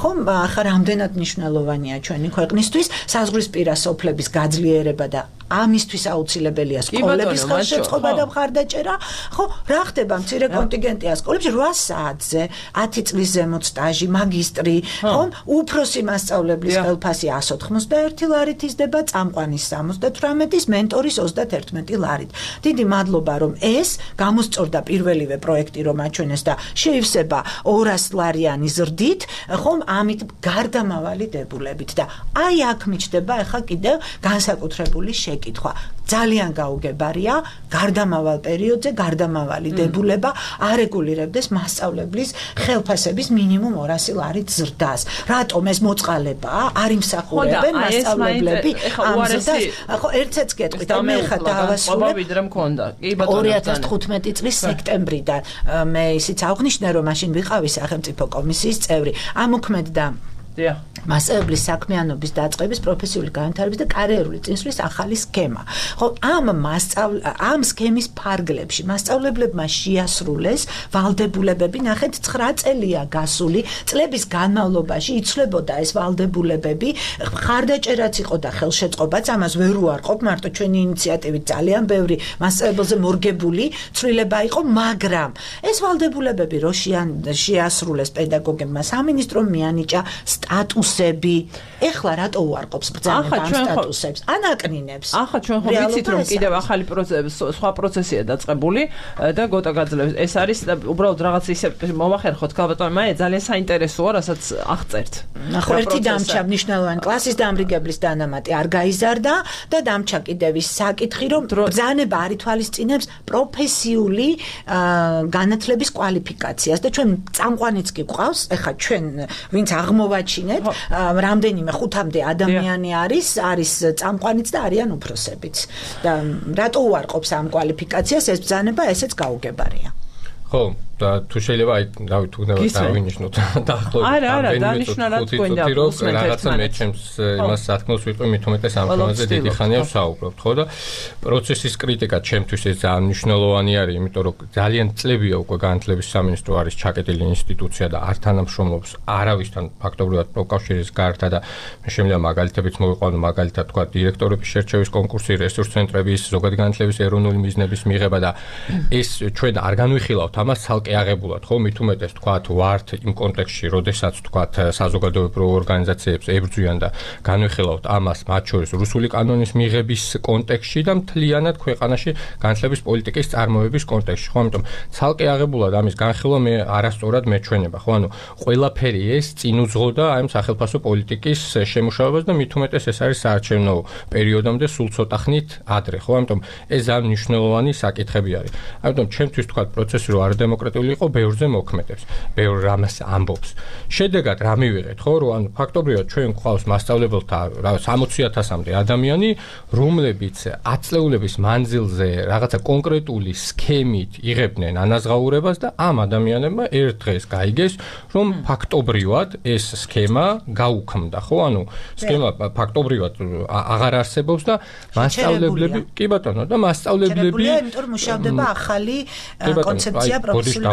ხომ ახლა რამდენად მნიშვნელოვანია ჩვენი ქვეყნისთვის საზღვრისპირა სოფლების გაძლიერება და ამისთვის აუცილებელია სკოლების ხელშეწყობა და მხარდაჭერა. ხო, რა ხდება მცირე კონტინგენტიან სკოლებში 8 საათზე 10 წლის ზემოთ სტაჟი, მაგისტრი, ხომ, უფროსი მასწავლებლის ხელფასი 191 ლარით იზრდება, წამყვანის 78-ის, მენტორის 31 ლარით. დიდი მადლობა, რომ ეს გამოსწორდა პირველივე პროექტი რომ აჩვენეს და შეივსება 200 ლარიანი ზრდით, ხომ, ამით გარდამავალი დებულებით და აი აქ მიჩნდება ახლა კიდევ განსაკუთრებული შეკითხვა. ძალიან გაუგებარია გარდამავალ პერიოდზე გარდამავალი დებულება არეგულირებდეს მასწავლებლის ხელფასების მინიმუმ 200 ლარით ზრდას. რატომ ეს მოწყალებაა? არ იმსახურებენ მასწავლებლები ამ ზრდას? ხო, ერთსაც გეტყვით, მე ხა დავასრულებ. 2015 წლის სექტემბრიდან მე ისიც აღნიშნე, რომ მაშინ ვიყავი სახელმწიფო კომისიის წევრი. ამოქმედდა მასწავლებლის საქმიანობის დაწყების, პროფესიული განვითარების და კარიერული წინსვლის ახალი სქემა. ხო, ამ სქემის ფარგლებში მასწავლებლებმა შეასრულეს ვალდებულებები, ნახეთ 9 წელია გასული, წლების განმავლობაში იცვლებოდა ეს ვალდებულებები, მხარდაჭერაც იყო და ხელშეწყობაც, ამას ვერ უარყოფ, მარტო ჩვენი ინიციატივით ძალიან ბევრი მასწავლებელზე მორგებული ცვლილება იყო, მაგრამ ეს ვალდებულებები რო შეასრულეს პედაგოგებმა, სამინისტრომ მიანიჭა სტატუსები. ეხლა რატო უარყოფს ბრძანება ამ სტატუსებს? ანაკნინებს. ახლა ჩვენ ხომ ვიცით, რომ კიდევ ახალი სხვა პროცესია დაწყებული და გოტა გაძლევს. ეს არის უბრალოდ რაღაც ისე მომახერხოთ ქალბატონო მაია, ძალიან საინტერესოა, რასაც აღწერთ. ხო, ერთი დამჭა მნიშვნელოვანი კლასის დამრიგებლის დანამატი არ გაიზარდა და დამჭა კიდევ ის საკითხი, რომ ბრძანება არ ითვალისწინებს პროფესიული განათლების კვალიფიკაციას და ჩვენ წამყვანიც კი გვყავს, ეხლა ჩვენ ვინც აღმოვაჩინეთ, რამდენიმე 5-მდე ადამიანი არის წამყვანიც და არიან უფროსებიც. და რატო უარყოფს ამ კვალიფიკაციას ეს ბრძანება, ესეც გაუგებარია. ხო, და თუ შეიძლება აი დავით უნდა დავინიშნოთ დაახლოებით რაღაცა მე ჩემს იმას სათქმელს ვიტყვი მით უმეტეს ამ თემაზე დიდი ხანია ვსაუბრობთ, ხო და პროცესის კრიტიკა ჩემთვის ეს ძალიან მნიშვნელოვანი არის, იმიტომ რომ ძალიან წლებია უკვე განათლების სამინისტრო არის ჩაკეტილი ინსტიტუცია და არ თანამშრომლობს არავისთან ფაქტობრივად პროკავშირის გარდა და მე შემიძლია მაგალითებიც მოვიყვანო, მაგალითად თქვა დირექტორების შერჩევის კონკურსი, რესურს ცენტრების, ზოგადი განათლების ეროვნული მიზნების მიღება და ეს ჩვენ არ განვიხილავთ ამას აღებულად, ხო, მით უმეტეს თქვათ ვართ იმ კონტექსტში, როდესაც თქვათ საზოგადოებრივ ორგანიზაციებს ებრძვიან და განვიხილავთ ამას, მათ შორის რუსული კანონის მიღების კონტექსტში და მთლიანად ქვეყანაში განათლების პოლიტიკის წარმოების კონტექსტში, ხო, ამიტომ ცალკე აღებულად ამის განხილვა მე არასწორად მეჩვენება, ხო, ანუ ყველაფერი ეს წინ უძღოდა აი ამ სახელმწიფო პოლიტიკის შემუშავებას და მით უმეტეს ეს არის საარჩევნო პერიოდამდე სულ ცოტა ხნით ადრე, ხო, ამიტომ ეს ძალიან მნიშვნელოვანი საკითხები არის. ამიტომ ჩემთვის თქვათ პროცესი რო არ დემოკრატიული იყო, ბევრზე მოქმედებს, ბევრ რამას ამბობს. შედეგად რა მივიღეთ, ხო, რომ ანუ ფაქტობრივად ჩვენ გვყავს მასწავლებელთა რა 60,000-მდე ადამიანი, რომლებიც 10 წლეულების მანძილზე რაღაცა კონკრეტული სქემით იღებდნენ ანაზღაურებას და ამ ადამიანებმა ერთ დღეს გაიგეს, რომ ფაქტობრივად ეს სქემა გაუქმდა, ხო, ანუ სქემა ფაქტობრივად აღარ არსებობს და მასწავლებლები, კი ბატონო, და მასწავლებლები იმიტომ რომ მუშავდება ახალი კონცეფცია პროფესიული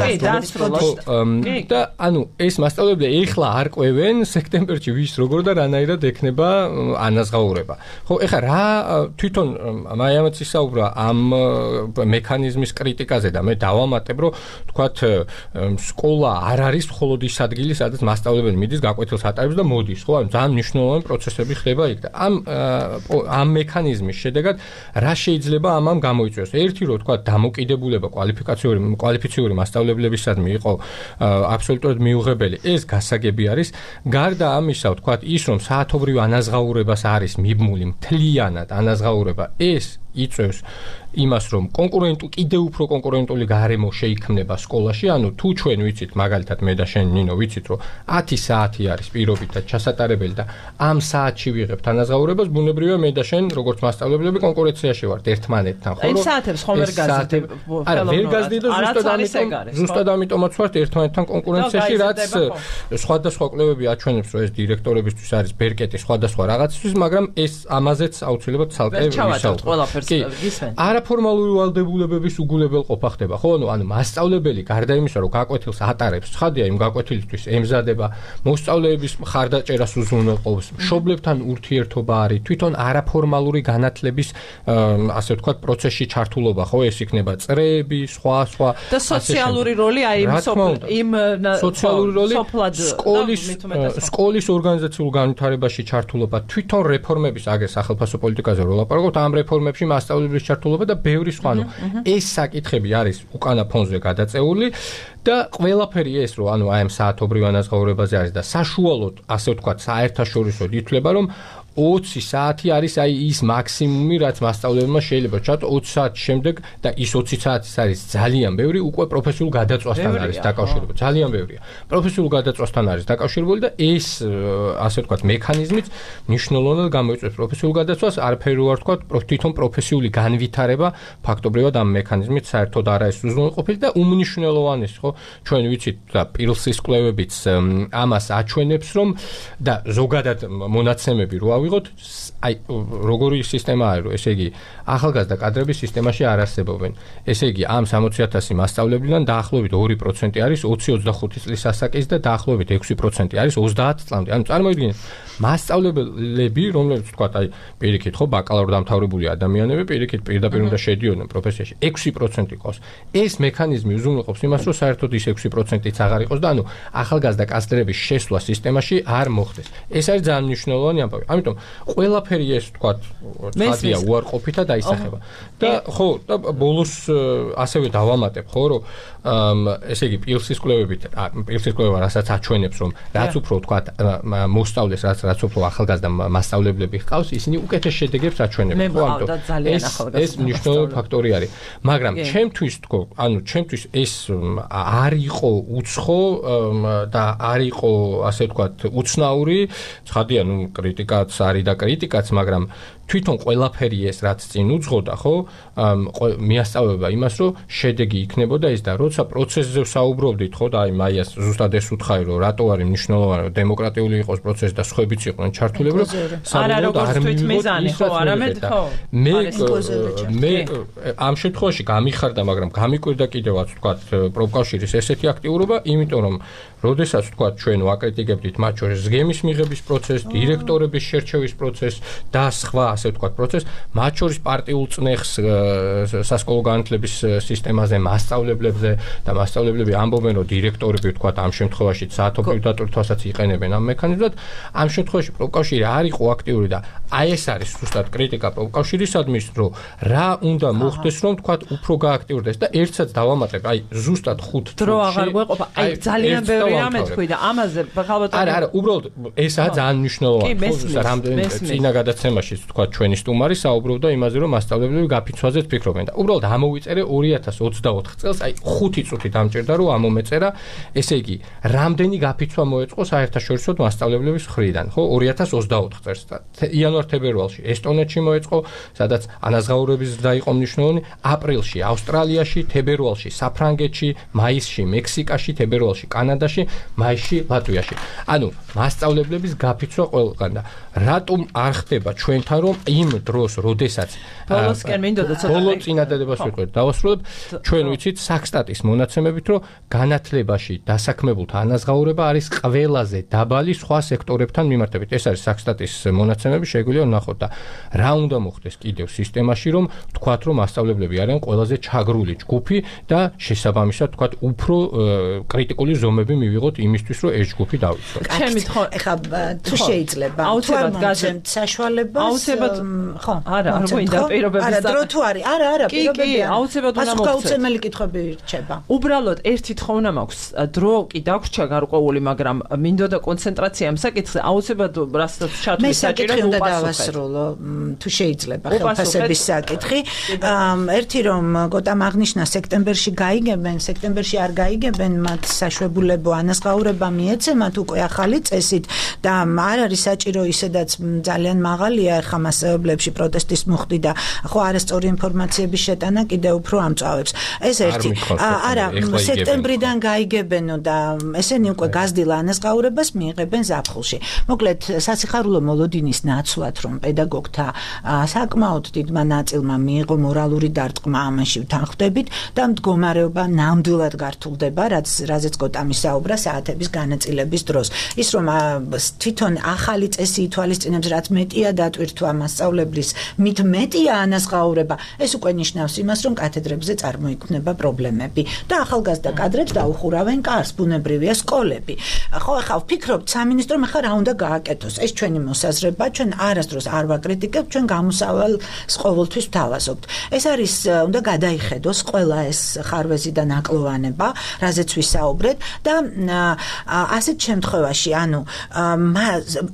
და ანუ ეს მასწავლებლები ეხლა არ ყვევენ სექტემბერში ვის როგორ და რანაირად ექნება ანაზღაურება. ხო, ეხლა რა თვითონ მაიამაც ისაუბრა ამ მექანიზმის კრიტიკაზე და მე დავამატებ, რომ თქვათ სკოლა არ არის მხოლოდ ის ადგილი, სადაც მასწავლებელი მიდის გაკვეთილს ატარებს და მოდის, ხო? ანუ ძალიან მნიშვნელოვანი პროცესები ხდება იქ და ამ მექანიზმის შედეგად რა შეიძლება ამამ გამოიწვიოს? ერთი რომ თქვათ დამოკიდებულება კვალიფიციური მასწავლებლებისადმი იყო აბსოლუტურად მიუღებელი, ეს გასაგები არის. გარდა ამისა, თქვათ ის რომ საათობრივ ანაზღაურებას არის მიბმული მთლიანად ანაზღაურება, ეს იწევს იმას, რომ კიდევ უფრო კონკურენტული გარემო შეიქმნება სკოლაში, ანუ თუ ჩვენ ვიცით, მაგალითად მე და შენ ნინო ვიცით, რომ 10 საათი არის პირობითად ჩასატარებელი და ამ საათში ვიღებთ ანაზღაურებას, ბუნებრივია მე და შენ, როგორც მასწავლებლები, კონკურენციაში ვართ ერთმანეთთან, ხო? იმ საათებს ხომ ვერ გაზრდებ? არა, ვერ გაზრდით და ზუსტად ამიტომაც ვართ ერთმანეთთან კონკურენციაში, რაც სხვადასხვა კვლევები აჩვენებს, რომ ეს დირექტორებისთვის არის ბერკეტი სხვადასხვა რაღაცისთვის, მაგრამ ეს ამაზეც აუცილებლად ცალკე ვისაუბრებთ. არაფორმალური ვალდებულებების უგულებელყოფა ხდება, ხო? ანუ მასწავლებელი გარდა იმისა, რომ გაკვეთილს ატარებს, ცხადია იმ გაკვეთილისთვის ემზადება, მოსწავლეების მხარდაჭერას უზრუნველყოფს, მშობლებთან ურთიერთობა არის, თვითონ არაფორმალური განათლების ასე ვთქვათ პროცესში ჩართულობა, ხო? ეს იქნება წრეები, სხვა და სოციალური როლი აი იმ სოციალური როლი სკოლის ორგანიზაციულ განვითარებაში ჩართულობა, თვითონ რეფორმების აგერ სახელმწიფო პოლიტიკაზე რო ლაპარაკობთ, ამ რეფორმებში მასწავლებლის ჩართულობა და ბევრი სხვა. ეს საკითხები არის უკანა ფონზე გადაწეული და ყველაფერი ეს რომ აი ამ საათობრივ ანაზღაურებაზე არის და საშუალოდ ასე ვთქვათ საერთაშორისოდ ითვლება რომ 20 საათი არის აი ის მაქსიმუმი, რაც მასწავლებელმა შეიძლება ჩათო 20 საათის შემდეგ და ის 20 საათის არის ძალიან ბევრი, უკვე პროფესიულ გადაწვასთან არის დაკავშირებული. ძალიან ბევრია. პროფესიულ გადაწვასთან არის დაკავშირებული და ეს ასე ვთქვათ მექანიზმიც მნიშვნელოვნად გამოიწვევს პროფესიულ გადაწვას, არაფერი რო არ ვთქვათ, თვითონ პროფესიული განვითარება ფაქტობრივად ამ მექანიზმით საერთოდ არ არის უზრუნველყოფილი და უმნიშვნელოვანესი, ხო? ჩვენ ვიცით და პილსის კვლევებიც ამას აჩვენებს, რომ და ზოგადად მონაცემები რო ვიღოთ, აი როგორი სისტემა არის, ესე იგი ახალგაზრდა კადრების სისტემაში არ არსებობენ. ესე იგი ამ 60,000 მასწავლებლიდან დაახლოებით 2% არის 20-25 წლის ასაკის და დაახლოებით 6% არის 30 წლამდე. ანუ წარმოიდგინეთ, მასწავლებლები, რომლებიც ვთქვათ, აი პირიქით ხო ბაკალავრ დამთავრებული ადამიანები, პირდაპირ უნდა შედიოდნენ პროფესიაში, 6% იყოს. ეს მექანიზმი უზრუნველყოფს იმას, რომ საერთოდ ის 6%-იც აღარ იყოს და ანუ ახალგაზრდა კადრების შესვლა სისტემაში არ მოხდეს. ეს არის ძალიან მნიშვნელოვანი ამბავი. ამიტომ ყველაფერი ეს ვთქვათ, ხადია უარყოფითა დაისახება. და ხო, და ბოლოს ასევე დავამატებ, ხო, რომ ესე იგი პილსის კვლევა რასაც აჩვენებს, რომ რაც უფრო ვთქვათ, მოსწავლეს, რაც უფრო ახალგაზრდა მასწავლებლები ჰყავს, ისინი უკეთეს შედეგებს აჩვენებენ. ხო, ამიტომ ეს მნიშვნელოვანი ფაქტორი არის. მაგრამ ჩემთვის თქო, ანუ ჩემთვის ეს არ იყო უცხო და არ იყო ასე ვთქვათ, უცნაური, ცხადია, ნუ კრიტიკაც არის და კრიტიკაც, მაგრამ თვითონ ყველაფერი ეს რაც წინ უძღოდა, ხო, მიასწავლება იმას, რომ შედეგი იქნებოდა ის და როცა პროცესზე ვსაუბრობდით, ხო, და აი მაიას ზუსტად ეს უთხარი, რომ რატო არის მნიშვნელოვანი, რომ დემოკრატიული იყოს პროცესი და სხვაებიც იყვნენ ჩართულები, რომ საერთოდ არ მივიღოთ ის, ხო, არამედ ხო. მე ამ შემთხვევაში გამიხარდა, მაგრამ გამიკვირდა კიდევაც, ვთქვათ, პროფკავშირის ესეთი აქტიურობა, იმიტომ რომ როდესაც ვთქვათ, ჩვენ ვაკრიტიკებდით მათ შორის ზგემის მიღების პროცესს, დირექტორების შერჩევის პროცესს და სხვა ასე ვთქვათ პროცესს, მათ შორის პარტიულ წნეხს სასკოლო განათლების სისტემაზე, მასწავლებლებზე და მასწავლებლები ამბობენ, რომ დირექტორები ვთქვათ ამ შემთხვევაში საათობრივ დატვირთვასაც იყენებენ ამ მექანიზმად. ამ შემთხვევაში პროფკავშირი არ იყო აქტიური და აი ეს არის ზუსტად კრიტიკა პროფკავშირისადმი, რომ რა უნდა მოხდეს, რომ ვთქვათ უფრო გააქტიურდეს და ერთსაც დავამატებ, აი ზუსტად 5 დრო აღარ გვეყოფა, აი ძალიან ბევრი რამე თქვი და ამაზე ალბათ არა, უბრალოდ ესაა ძალიან მნიშვნელოვანი. რამდენი წინა გადაცემაში თქვა ჩვენი სტუმარი საუბრობდა იმაზე, რომ მასწავლებლები გაფიცვაზეც ფიქრობენ და უბრალოდ ამოვიწერე 2024 წელს, აი 5 წუთი დამჭირდა რომ ამომეწერა, ესე იგი, რამდენი გაფიცვა მოეწყო საერთაშორისო მასწავლებლების მხრიდან, ხო, 2024 წელს. იანვარ-თებერვალში ესტონეთში მოეწყო, სადაც ანაზღაურების ზრდა იყო მნიშვნელოვანი, აპრილში ავსტრალიაში, თებერვალში საფრანგეთში, მაისში მექსიკაში, თებერვალში კანადაში, მაისში ლატვიაში. ანუ მასწავლებლების გაფიცვა ყველგან და რატომ არ ხდება ჩვენთან რომ რომ იმ დროს, როდესაც ბოლოსკენ მინდოდა ცოტა ბოლო წინადადებას ვიყურებ, დავასრულებ, ჩვენ ვიცით საქსტატის მონაცემებით, რომ განათლებაში დასაქმებულთა ანაზღაურება არის ყველაზე დაბალი სხვა სექტორებთან მიმართებით. ეს არის საქსტატის მონაცემები, შეგვიძლია ვნახოთ და რა უნდა მოხდეს კიდევ სისტემაში, რომ თქვათ, რომ მასწავლებლები არიან ყველაზე ჩაგრული ჯგუფი და შესაბამისად თქვათ, უფრო კრიტიკული ზომები მივიღოთ იმისთვის, რომ ეს ჯგუფი დავიცვათ. ეხლა თუ შეიძლება აუცილებლად გაზემთ საშუალებას აუცილებლად ხო არა გვინდა პირობების არა დრო თუ არის არა პირობები აუცილებლად უნდა მოხდეს გაუცემელი კითხვები რჩება უბრალოდ ერთი თხოვნა მაქვს დრო კი დაგვრჩა გარკვეული მაგრამ მინდოდა კონცენტრაცია ამ საკითხზე აუცილებლად რასაც ჩათვლის საჭირო უპასუხო თუ შეიძლება ხელფასების საკითხი ერთი რომ გოტამ აღნიშნა სექტემბერში გაიგებენ სექტემბერში არ გაიგებენ მათ საშვებულებო ანაზღაურება მიეცემათ უკვე ახალი წესით და არ არის საჭირო ისედაც ძალიან მაღალია ხა მასწავლებლებში პროტესტის მუხტი და ხო არასწორი ინფორმაციების შეტანა კიდევ უფრო ამწვავებს ეს ერთი არა სექტემბრიდან გაიგებენო და ესენი უკვე გაზრდილ ანაზღაურებას მიიღებენ ზაფხულში მოკლედ სასიხარულო მოლოდინის ნაცვლად რომ პედაგოგთა საკმაოდ დიდმა ნაწილმა მიიღო მორალური დარტყმა ამაში ვთანხმდებით და მდგომარეობა ნამდვილად გართულდება რაზეც გოტამი საუბრა საათების განაწილების დროს ის რომ თვითონ ახალი წესი ითვალისწინებს რაც მეტია დატვირთვა მასწავლებლის მით მეტია ანაზღაურება ეს უკვე ნიშნავს იმას რომ კათედრებზე წარმოიქმნება პრობლემები და ახალგაზრდა კადრებს დაუხურავენ კარს ბუნებრივია სკოლები ხო ახლა ვფიქრობთ სამინისტრომ ახლა რა უნდა გააკეთოს ეს ჩვენი მოსაზრება ჩვენ არასდროს არ ვაკრიტიკებთ ჩვენ გამოსავალს ყოველთვის ვთავაზობთ ეს არის უნდა გადაიხედოს ყველა ეს ხარვეზი და ნაკლოვანება რაზეც ვისაუბრეთ და ასეთ შემთხვევაში ანუ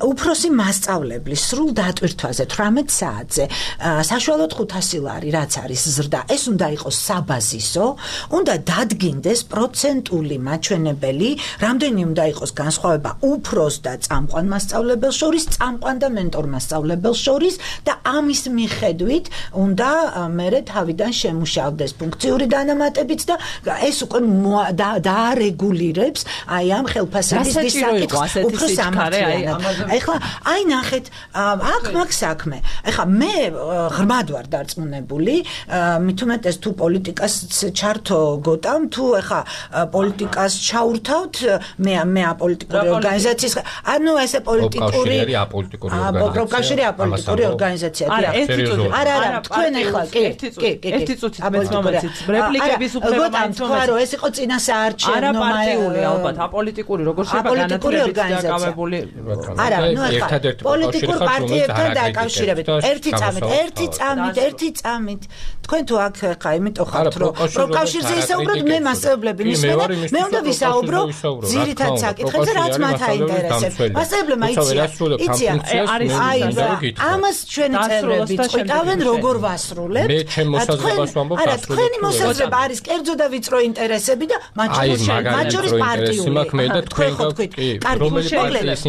უფროსი მასწავლებლის სრულ დატვირთვაზე 18 საათზე საშუალოდ 500 ლარი რაც არის ზრდა ეს უნდა იყოს საბაზისო უნდა დადგინდეს პროცენტული მაჩვენებელი რამდენი უნდა იყოს განსხვავება უფროს და წამყვან მასწავლებელს შორის წამყვან და მენტორ მასწავლებელს შორის და ამის მიხედვით უნდა მერე თავიდან შემუშავდეს ფუნქციური დანამატებით და ეს უკვე დაარეგულირებს აი ამ ხელფასების საკითხს უფრო სამართლიანად ეხლა აი ნახეთ აქ მაგ საქმე ეხლა მე ღრმად ვარ დარწმუნებული მით უმეტეს თუ პოლიტიკას ჩართო გოტამ თუ ეხლა პოლიტიკას ჩაურთავთ მე აპოლიტიკური ორგანიზაციის ანუ ესე პოლიტიკური პროფკავშირი აპოლიტიკური ორგანიზაცია არა თქვენ ეხლა კი ერთი წუთი მომეცით რეპლიკების უფლება თქვა რომ ეს იყო წინასაარჩევნო პარტიული ალბათ აპოლიტიკური როგორ შეიძლება განათლებით დაკავებული არა ნუ ეხლა პოლიტიკურ პარტიებთან დაკავშირებით ერთი წამით თქვენ თუ აქ ხა იმიტომ ხართ რომ პროფკავშირზე ისაუბროთ მე მასწავლებლები მისმენა მე უნდა ვისაუბრო ძირითად საკითხებზე რაც მათ აინტერესებს მასწავლებლებმა იციან ამას ჩვენი წევრები წყვიტავენ როგორ ვასრულებთ მე ჩემ მოსაზრებას ვამბობ არა თქვენი მოსაზრება არის კერძო და ვიწრო ინტერესები და მათ შორის პარტიული თქვენ ხოთქვით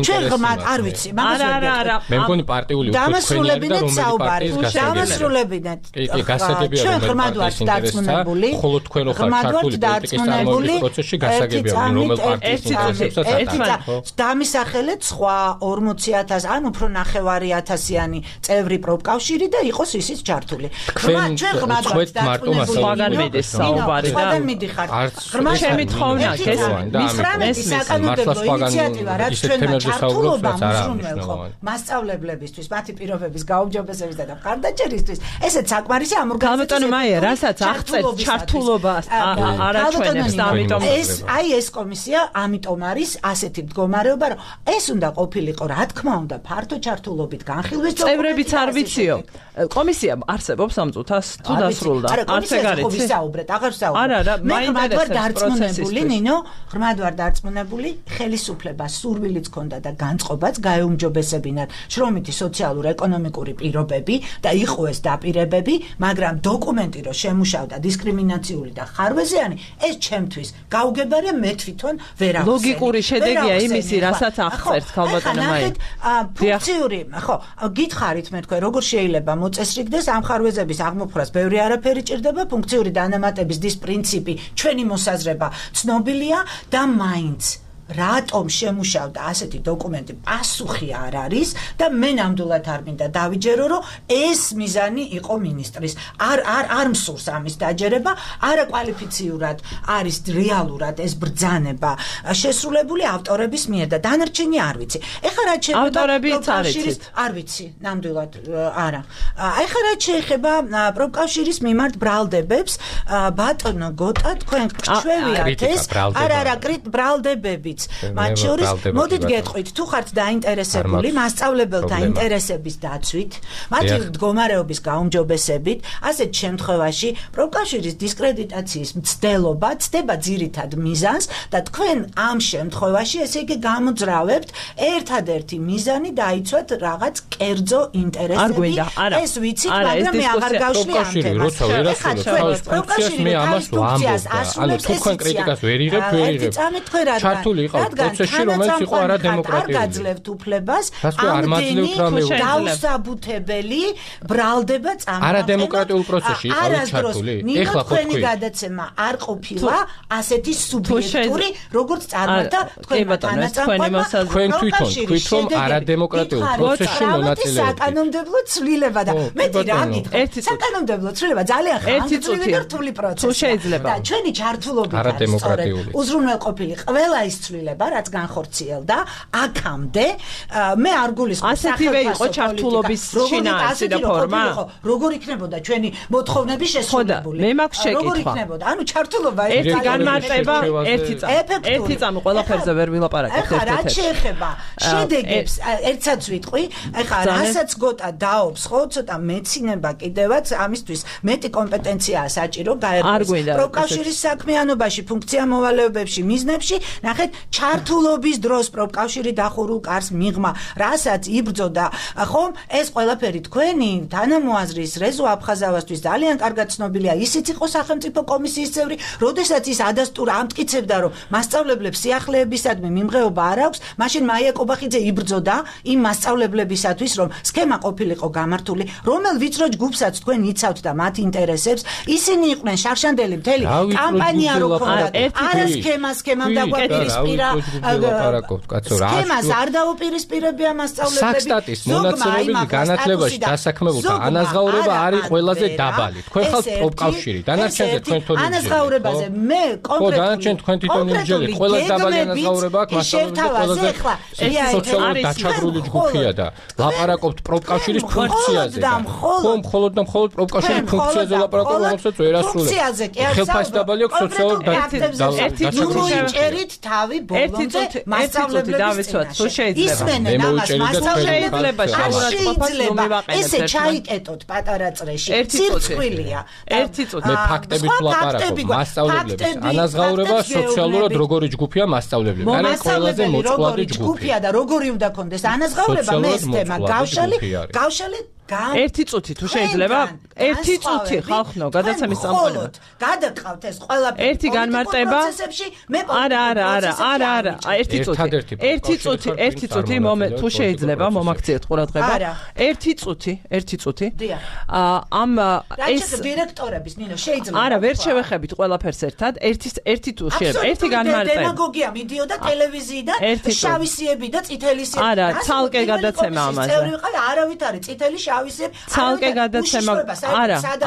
ჩვენ ღმად არ ვიცი არა მე მგონი პარტიული დამასრულებინეთ საუბარი დამასრულებინეთ ჩვენ ღმად ვართ დარწმუნებული ხოლო თქვენ რო ხართ ქართული პოლიტიკის წარმოების პროცესში გასაგებია რომელ პარტიის ინტერესებსაც დამისახელეთ სხვა 40000 ან უფრო 9,000-იანი წევრი პროფკავშირი და იყოს ისიც ჩართული ჩვენ ღმად ვართ დარწმუნებული სხვაგან მიდის საუბარი და სხვაგან მიდიხარ ღმად შემithხოვნა ეს მისრამების საკანონმდებლო ინიციატივა რაც ჩვენმა ჩართულობა მსურველყო მასწავლებლებისთვის მათი პირობების გაუმჯობესების და მხარდაჭერისთვის ესეც საკმარისი ამ ორგანიზაციებთან მაია რასაც აღწევს ჩართულობას არაჩვენებს და ამიტომ ეს კომისია ამიტომ არის ასეთი მდგომარეობა რომ ეს უნდა ყოფილიყო რა თქმა უნდა ფართო ჩართულობით განხილვის წევრებიც არ ვიციო კომისია არსებობს ამ წუთას თუ დასრულდა არც ეგ არის ვისაუბრეთ აღარ ვსაუბრობ არა მე ღმად ვარ დარწმუნებული ნინო ღმად ვარ დარწმუნებული ხელისუფლება სურვილიც ქონდა და განწყობაც გაეუმჯობესებინათ შრომითი სოციალურ-ეკონომიკური პირობები და იყო ეს დაპირებები მაგრამ დოკუმენტი რო შემუშავდა დისკრიმინაციული და ხარვეზიანი ეს ჩემთვის გაუგებარია მე თვითონ ვერ ახსენე ლოგიკური შედეგია იმისი რასაც აღწერთ ქალბატონო მაია ფუნქციური ხო გითხარით მე თქვენ როგორ შეიძლება მოწესრიგდეს ამ ხარვეზების აღმოფხვრას ბევრი არაფერი ჭირდება ფუნქციური დანამატების დის პრინციპი ჩვენი მოსაზრება ცნობილია და მაინც რატომ შემუშავდა ასეთი დოკუმენტი, პასუხი არ არის და მე ნამდვილად არ მინდა დავიჯერო, რომ ეს მიზანი იყო მინისტრის. არ მსურს ამის დაჯერება, არაკვალიფიციურად არის რეალურად ეს ბრძანება შესრულებული ავტორების მიერ და დანარჩენი არ ვიცი. ეხლა რაც შეეხება არ ვიცი, ნამდვილად არა. ეხლა რაც შეეხება პროფკავშირის მიმართ ბრალდებებს, ბატონო გოტა, თქვენ გრჩვევიათ ეს არა ბრალდებებიც. მათ შორის მოდით გეტყვით, თუ ხართ დაინტერესებული მასწავლებელთა ინტერესების დაცვით, მათი მდგომარეობის გაუმჯობესებით, ასეთ შემთხვევაში პროფკავშირის დისკრედიტაციის მცდელობა ცდება ძირითად მიზანს და თქვენ ამ შემთხვევაში ესე იგი გამოძრავებთ ერთადერთი მიზანი დაიცვათ რაღაც კერძო ინტერესები. ეს ვიცით, მაგრამ მე აღარ გავშლი ამ თემას. პროფკავშირი მე ამას ვამბობ. ანუ თქვენ კრიტიკას ვერ იღებთ. ჩართული იყო პროცესში, რომელიც იყო არადემოკრატიული. არ გაძლევთ უფლებას ამდენი დაუსაბუთებელი ბრალდება წამოაყენოთ. არადემოკრატიულ პროცესში იყავით ჩართული. ეხლა ხო თქვი გადაცემა არ ყოფილა ასეთი სუბიექტური, როგორც წარმართა თქვენ თქვენ თვითონ თქვით რომ არადემოკრატიულ პროცესში მონაწილეობთ. საკანონმდებლო ცვლილება და მეტი რა გითხრათ? საკანონმდებლო ცვლილება ძალიან ხანგრძლივი და რთული პროცესია. და ჩვენი ჩართულობით არის სწორედ უზრუნველყოფილი ყველა ის ცვლილება, რაც განხორციელდა აქამდე. მე არ გულისხმობ ასეთივე იყო ჩართულობის შინაარსი და ფორმა. როგორ იქნებოდა ჩვენი მოთხოვნები შესრულებული? მე მაქვს შეკითხვა. როგორ იქნებოდა? ანუ ჩართულობა ერთი განმარტება, ერთი წამი ყველაფერზე ვერ ვილაპარაკებთ ერთ-ერთად. ეხლა რაც შეეხება შედეგებს, ერთსაც ვიტყვი, ეხლა რასაც გოტა დაობს, ხო, ცოტა მეცინება კიდევაც ამისთვის მეტი კომპეტენციაა საჭირო გაეროს პროფკავშირის საქმიანობაში, ფუნქცია-მოვალეობებში, მიზნებში, ნახეთ, ჩართულობის დროს პროფკავშირი დახურულ კარს მიღმა, რასაც იბრძოდა, ხომ, ეს ყველაფერი თქვენი თანამოაზრის რეზო აფხაზავასთვის ძალიან კარგად ცნობილია. ისიც იყო სახელმწიფო კომისიის წევრი, როდესაც ის ადასტურ ამტკიცებდა, რომ მასწავლებლებს სიახლეებისადმი მიმღეობა არ აქვს, მაშინ მაია კობახიძე იბრძოდა იმ მასწავლებლებისათვის, რომ სქემა ყოფილიყო გამართული, რომელ ვიწრო ჯგუფსაც თქვენ იცავთ და მათ ინტერესებს, ისინი იყვნენ შარშანდელი მთელი კამპანია რო ქონდათ. არა სქემამ დაგვაპირისპირა. სქემას არ დაუპირისპირებია მასწავლებლები. საქსტატის მონაცემები განათლებაში დასაქმებულთა ანაზღაურება არის ყველაზე დაბალი. თქვენ ხალხ პროფკავშირი, დანარჩენზე თქვენ თვითონ ანაზღაურებაზე მე კონკრეტულად დანარჩენ თქვენ თვითონ იმჯელი, ყველაზე დაბალი ანაზღაურება აქვს მასწავლებლებზე. სოციალური დაჩაგრული ჯგუფია და ლაპარაკობთ პროფკავშირის ფუნქციაზე. ხომ მხოლოდ და მხოლოდ პროფკავშირის ფუნქციაზე ლაპარაკობთ, რომელსაც ვერ ასრულებს. ხელფასი დაბალი აქვს სოციალური დაჩაგრული თავი ბოლომდე მასწავლებლების დავიცვათ, თუ შეიძლება. შეიძლება შეიძლება ესე ჩაიკეტოთ პატარა წრეში. ცირცხვილია. ერთი წუთი მე ფაქტებით ვლაპარაკობ. მასწავლებლების ანაზღაურება სოციალურად როგორი ჯგუფია მასწავლებლები. არა ყველაზე მოწყვლადი ჯგუფია და როგორი უნდა კონდეს ანაზღაურება მე ეს თემა გავშალი ერთი წუთი თუ შეიძლება ერთი წუთი ხალხო გადაცემის წამყვანებად გადაგყავთ ეს ყველაფერი ერთი განმარტება არა ერთი წუთი მომენტ თუ შეიძლება მომაქციეთ ყურადღება ერთი წუთი ამ ეს დირექტორების ნინო შეიძლება არა ვერ შევეხებით ყველაფერს ერთად ერთი თუ შეიძლება ერთი განმარტება დემაგოგია მიდიოდა ტელევიზიიდან შავი სიები და წითელი სიები არა ცალკე გადაცემა ამაზე წევრი ვიყავი არავით არის წითელი შავი ცალკე გადაცემა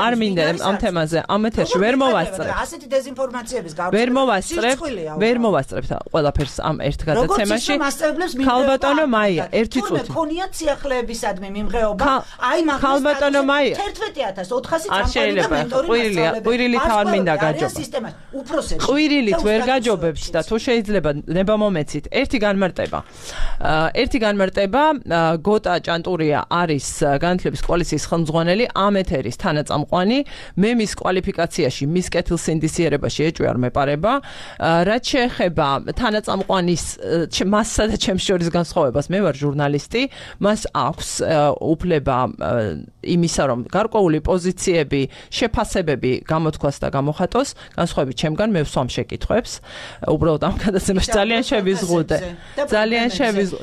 არ მინდა ამ თემაზე ამ ეთერში ვერ მოვასწრებ ასეთი დეზინფორმაციების გავრცელება ვერ მოვასწრებ ყველაფერს ამ ერთ გადაცემაში ქალბატონო მაია ერთი წუთი ქონიათ სიახლეებისადმი მიმღეობა აი მაგას ქალბატონო მაია 11400 არ შეიძლება ყვირილით არ მინდა გაჯობა ყვირილით ვერ გაჯობებთ და თუ შეიძლება ნება მომეცით ერთი განმარტება გოტა ჭანტურია არის განათლების კოალიციის ხელმძღვანელი ამ ეთერის თანაწამყვანი მე მის კვალიფიკაციაში მის კეთილსინდისიერებაში ეჭვი არ მეპარება რაც შეეხება თანაწამყვანის მასსა და ჩემს შორის განსხვავებას მე ვარ ჟურნალისტი მას აქვს უფლება იმისა რომ გარკვეული პოზიციები შეფასებები გამოთქვას და გამოხატოს განსხვავებით ჩემგან მე ვსვამ შეკითხვებს უბრალოდ ამ გადაცემაში ძალიან შევიზღუდე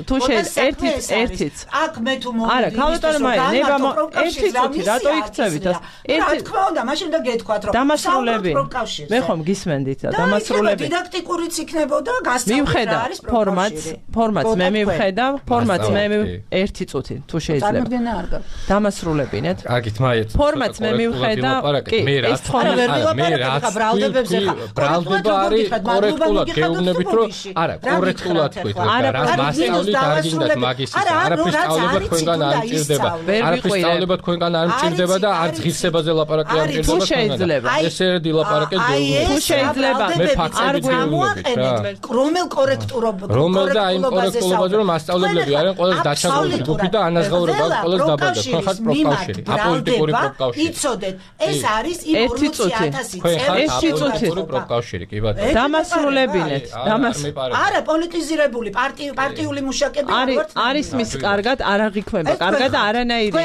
თუ ერთიც აქ მე თუ მომდი არა ქალბატონო მაია ერთი წუთი რატო იქცევით და რა თქმა უნდა მაშინ და გეთქვათ რომ დამასრულები მე ხომ გისმენდით და დამასრულები დიდაქტიკურიც იქნებოდა გასწავლება არის ფორმატს მე მივხედავ ფორმატს მე ერთი წუთი თუ შეიძლება დამასრულები ნეთ კარგით მაიეთ ფორმატს მე მივხედავ კი ეს ბრალდება არის კორექტულად გეუბნებით რომ არა კორექტულად თქვით რა მასწავლით არ გინდათ მაგის არაფრის სწავლება თქვენგან არ მჭირდება არაფრის სწავლება თქვენგან არ მჭირდება და არც ღირსებაზე ლაპარაკი არ მჭირდება შეიძლება ეს ერთი ლაპარაკი გეუბნებით თუ შეიძლება მე ფაქტები გამოაყენეთ რომელ რომელ და იმ კორექტულობაზე რომ მასწავლებლები არიან ყველაზე დაჩაგრული ჯგუფი და ანაზღაურება აქვს ყველაზე დაბალდა თქვენ ხართ პროფკავშირი აპოლიტიკური პროფკავშირი იცოდეთ ეს არის იმ 40 პროფკავშირი კი ბატონო დამასრულებინეთ არა პოლიტიზირებული პარტიული მუშაკები არის მის კარგად არ აღიქმება კარგად არანაირი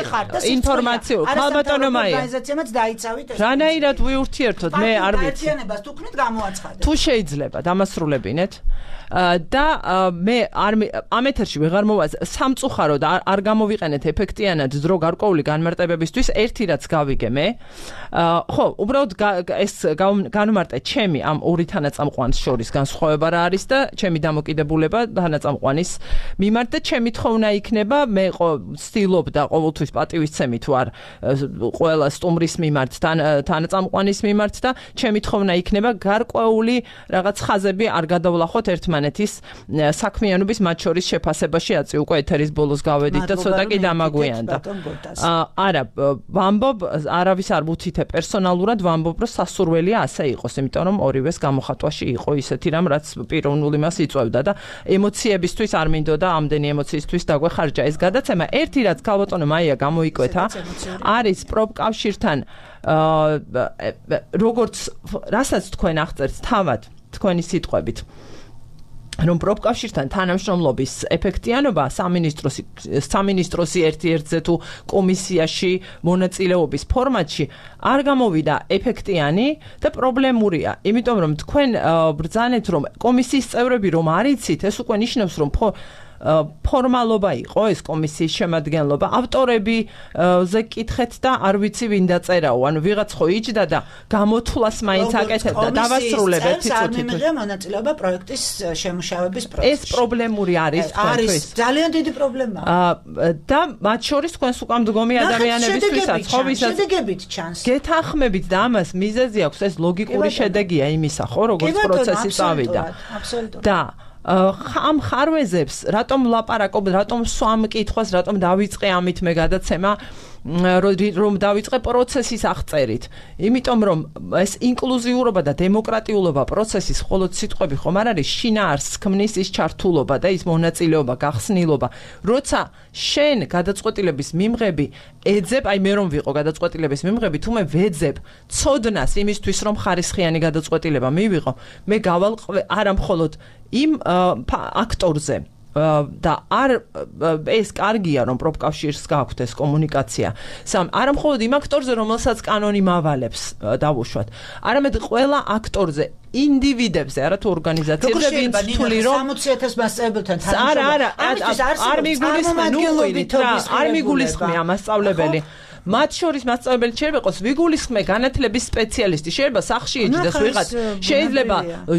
ინფორმაცია ხალბატონო მაია ორგანიზაციამაც დაიცავით ეს რანაირად ვიურთიერთოთ მე არ ვიცი პარტიანებას თუ ქნით გამოაცხადეთ თუ შეიძლება დამასრულებინეთ და მე ამ ეთერში ვეღარ მოვა სამწუხაროდ არ გამოვიყენეთ ეფექტიანად დრო გარკვეული განმარტებებისთვის ერთი რაც გავიგე მე ხო უბრალოდ ეს განმარტე ჩემი ამ ორი თანაწამყვანის შორის განსხვავება რა არის და ჩემი დამოკიდებულება თანაწამყვანის მიმართ და ჩემი თხოვნა იქნება მე ვცდილობ და ყოველთვის პატივისცემი თუ არ ყველა სტუმრის მიმართ თანაწამყვანის მიმართ და ჩემი თხოვნა იქნება გარკვეული რაღაც ხაზები არ გადავლახოთ ერთმანეთის საქმიანობის მათ შორის შეფასებაში აწი უკვე ეთერის ბოლოს გავედით და ცოტა კი დამაგვიანდა არა ვამბობ არავის არ ვუთითე პერსონალურად ვამბობ რომ სასურველია ასე იყოს იმიტომ რომ ორივეს გამოხატვაში იყო ისეთი რამ რაც პიროვნული მას იწვევდა და ემოციებისთვის არ მინდოდა ამდენი ემოციისთვის დაგვეხარჯა ეს გადაცემა ერთი რაც ქალბატონო მაია გამოიკვეთა არის პროფკავშირთან როგორც რასაც თქვენ აღწერთ თავად თქვენი სიტყვებით რომ პროფკავშირთან თანამშრომლობის ეფექტიანობა სამინისტროსი ერთ-ერთზე თუ კომისიაში მონაწილეობის ფორმატში არ გამოვიდა ეფექტიანი და პრობლემურია იმიტომ რომ თქვენ ბრძანეთ რომ კომისიის წევრები რომ არიცით ეს უკვე ნიშნავს რომ ფორმალობა იყო ეს კომისიის შემადგენლობა ავტორები ზე კითხეთ და არ ვიცი ვინ დაწერაო ანუ ვიღაც ხო იჯდა და გამოთვლას მაინც აკეთებდა დავასრულებ ერთი წუთით მიღია მონაწილეობა პროექტის შემუშავების პროცესში ეს პრობლემური არის არის ძალიან დიდი პრობლემაა და მათ შორის თქვენს უკვე მდგომი ადამიანებისთვისაც ხო ვისაც შედეგებით ჩანს გეთანხმებით და ამას მიზეზი აქვს ეს ლოგიკური შედეგია იმისა ხო როგორც პროცესი წავიდა და ამ ხარვეზებს რატომ ლაპარაკობ რატომ სვამ კითხვას რატომ დავიწყე ამით მე გადაცემა რომ დავიწყე პროცესის აღწერით იმიტომ რომ ეს ინკლუზიურობა და დემოკრატიულობა პროცესის მხოლოდ სიტყვები ხომ არ არის შინაარსს ქმნის ის ჩართულობა და ის მონაწილეობა გახსნილობა როცა შენ გადაწყვეტილების მიმღები ეძებ აი მე რომ ვიყო გადაწყვეტილების მიმღები თუ მე ვეძებ ცოდნას იმისთვის რომ ხარისხიანი გადაწყვეტილება მივიღო მე გავალ არა მხოლოდ იმ აქტორზე და არ ეს კარგია რომ პროფკავშირს გაქვთ ეს კომუნიკაცია არა მხოლოდ იმ აქტორზე რომელსაც კანონი მავალებს დავუშვათ არამედ ყველა აქტორზე ინდივიდებზე არა თუ ორგანიზაციებზე ვინც თვლი რომ 60,000 მასწავლებელთან არა არ მიგულისხმე არ მიგულისხმე ამ მასწავლებელი მათ შორის მასწავლებელი შეიძლება იყოს ვიგულისხმე განათლების სპეციალისტი შეიძლება სახში იჯდეს ვიღაც შეიძლება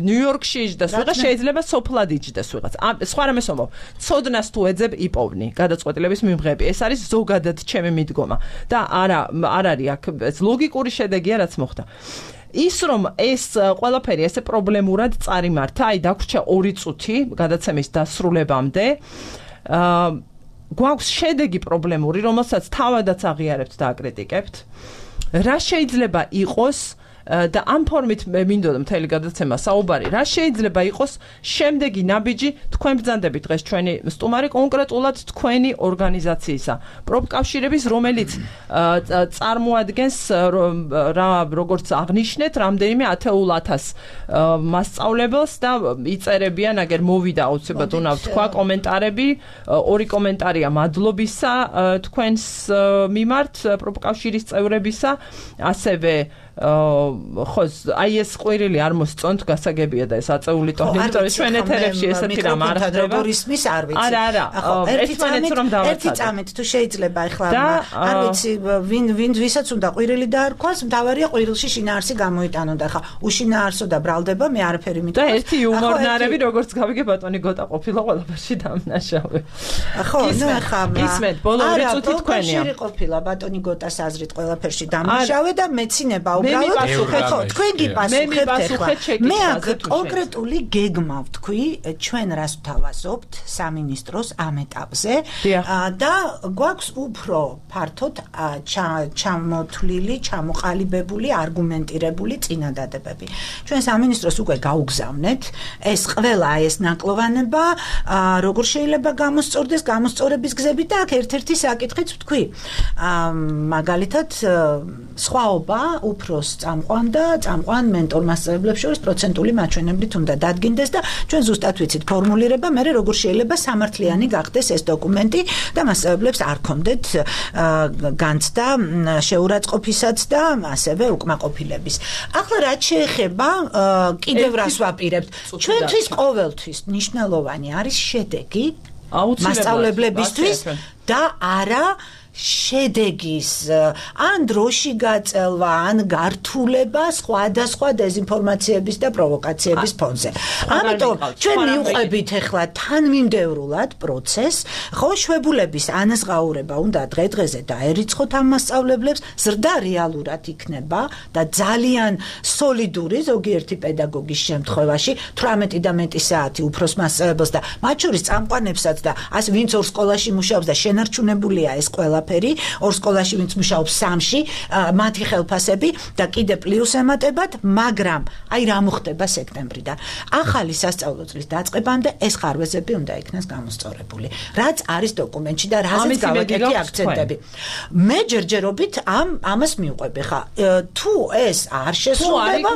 ნიუ-იორკში იჯდეს ვიღაც შეიძლება სოფლად იჯდეს ვიღაც სხვა რამეს ვამბობ ცოდნას თუ ეძებ იპოვნი გადაწყვეტილების მიმღები ეს არის ზოგადად ჩემი მიდგომა და არ არის აქ ეს ლოგიკური შედეგია რაც მოხდა ის რომ ეს ყველაფერი ესე პრობლემურად წარიმართა აი დაგვრჩა 2 წუთი გადაცემის დასრულებამდე გვაქვს შედეგი პრობლემური, რომელსაც თავადაც აღიარებთ და აკრიტიკებთ. რა შეიძლება იყოს და ამ ფორმით მე მინდოდა მთელი გადაცემა საუბარი, რა შეიძლება იყოს შემდეგი ნაბიჯი თქვენ ბრძანდებით დღეს ჩვენი სტუმარი კონკრეტულად თქვენი ორგანიზაციისა, პროფკავშირების, რომელიც წარმოადგენს როგორც აღნიშნეთ, რამდენიმე 10,000 მასწავლებელს და იწერებიან, აგერ მოვიდა აუცილებლად უნდა ვთქვა კომენტარები, 2 კომენტარია მადლობისა თქვენს მიმართ პროფკავშირის წევრებისა, ასევე ხო, აი ეს ყვირილი არ მოსწონთ, გასაგებია და ეს აწეული ტონი, იმიტომ რომ ჩვენ ეთერებში ესეთი რამ არ ხდება. რისმის არ ვიცი. არა, ერთმანეთს რომ დავაცადოთ. ერთი წამით თუ შეიძლება ახლა არ ვიცი ვინ ვისაც უნდა ყვირილი დაარქვას, მთავარია ყვირილში შინაარსი გამოიტანონ და ხა უშინაარსო და ბრალდება მე არაფერი მითქვა. და ერთი იუმორნარები როგორც გავიგე ბატონი გოტა ყოფილა ყველაფერში დამნაშავე. ხო, ნუ ახლა ისმეთ ბოლო ორი წუთი თქვენია. არა, ყოფილა ბატონი გოტას აზრით ყველაფერში დამნაშავე და მეცინება უბრალოდ ხო, თქვენ გიპასუხებთ ახლა. მე აქ კონკრეტული გეგმა ვთქვი, ჩვენ რას ვთავაზობთ სამინისტროს ამ ეტაპზე და გვაქვს უფრო ფართოდ ჩამოთვლილი, ჩამოყალიბებული, არგუმენტირებული წინადადებები. ჩვენ სამინისტროს უკვე გაუგზავნეთ ეს ყველა ეს ნაკლოვანება, როგორ შეიძლება გამოსწორდეს, გამოსწორების გზები და აქ ერთ-ერთი საკითხიც ვთქვი. მაგალითად, სხვაობა უფროს წამყვან და წამყვან მენტორ მასწავლებლებს შორის პროცენტული მაჩვენებლით უნდა დადგინდეს და ჩვენ ზუსტად ვიცით ფორმულირება, მე როგორ შეიძლება სამართლიანი გახდეს ეს დოკუმენტი და მასწავლებლებს არ კონდეთ განცდა შეურაცხყოფისაც და ასევე უკმაყოფილების. ახლა რაც შეეხება კიდევ რას ვაპირებთ, ჩვენთვის ყოველთვის მნიშვნელოვანი არის შედეგი მასწავლებლებისთვის და არა შედეგის ან დროში გაწელვა, ან გართულება სხვადასხვა დეზინფორმაციების და პროვოკაციების ფონზე. ამიტომ ჩვენ მივყვებით ახლა თანმიმდევრულად პროცესს, ხო, შვებულების ანაზღაურება უნდა დღე-დღეზე დაერიცხოთ ამ მასწავლებლებს, ზრდა რეალურად იქნება და ძალიან სოლიდური ზოგიერთი პედაგოგის შემთხვევაში 18 და მეტი საათი უფროს მასწავლებელს და მათ შორის წამყვანებსაც და ასე ვინც ორ სკოლაში მუშაობს და შენარჩუნებულია ეს ყველა ორ სკოლაში ვინც მუშაობს 3-ში, მათი ხელფასები და კიდე პლუს ემატებათ, მაგრამ აი რა მოხდება სექტემბრიდან. ახალი სასწავლო წლის დაწყებამდე ეს ხარვეზები უნდა იქნას გამოსწორებული. რაც არის დოკუმენტში და რაზეც გავაკეთე აქცენტები. მე ჯერჯერობით ამას მივყვები ხა. თუ ეს არ შესრულდება,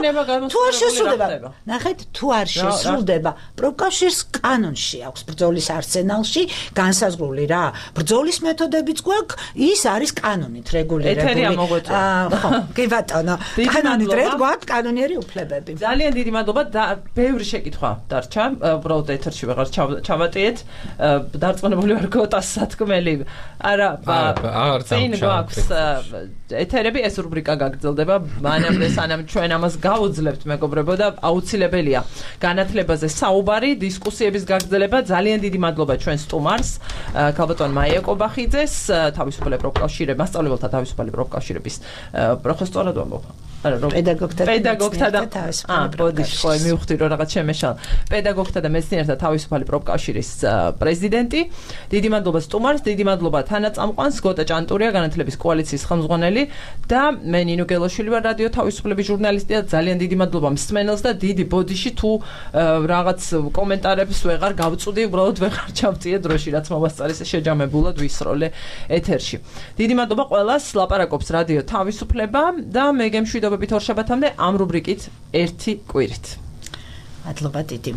თუ არ შესრულდება. ნახეთ, თუ არ შესრულდება, პროფკავშირს კანონში აქვს ბრძოლის არსენალში განსაზღვრული რა. ბრძოლის მეთოდებიც გვაქვს ის არის კანონით რეგულირებული. ხო, კი ბატონო, კანონით გვაქვს კანონიერი უფლებები. ძალიან დიდი მადლობა და ბევრი შეკითხვა დარჩა, უბრალოდ ეთერში ვეღარ ჩავატიეთ. დარწმუნებული ვარ გოტას სათქმელი. არა, წინ გვაქვს ეთერები, ეს რუბრიკა გაგრძელდება. მანამდე სანამ ჩვენ ამას გავუძლებთ, მეგობრებო, და აუცილებელია განათლებაზე საუბარი, დისკუსიების გაგრძელება. ძალიან დიდი მადლობა ჩვენ სტუმარს, ქალბატონ მაია კობახიძეს, თავისუფალი პროფკავშირების, მასწავლებელთა თავისუფალი პროფკავშირების პროფესორად ვამბობ. პედაგოგთა და ბოდიში ხო მივხვდი რომ რაღაც შემეშალა. პედაგოგთა და მეცნიერთა თავისუფალი პროფკავშირის პრეზიდენტი. დიდი მადლობა სტუმარს, დიდი მადლობა თანაწამყვანს, გოტა ჭანტურია, განათლების კოალიციის ხელმძღვანელი და მე ნინო გელოშვილი ვარ, რადიო თავისუფლების ჟურნალისტი და ძალიან დიდი მადლობა მსმენელს და დიდი ბოდიში თუ რაღაც კომენტარებს ვეღარ გავწვდი, უბრალოდ ვეღარ ჩავწიე დროში, რაც მომასწარეს შეჯამებულად ვისროლე ეთერში. დიდი მადლობა ყველას, ლაპარაკობს რადიო თავისუფლება და მე გემშვიდობებით ორშაბათამდე ამ რუბრიკით ერთი კვირით. მადლობა დიდი.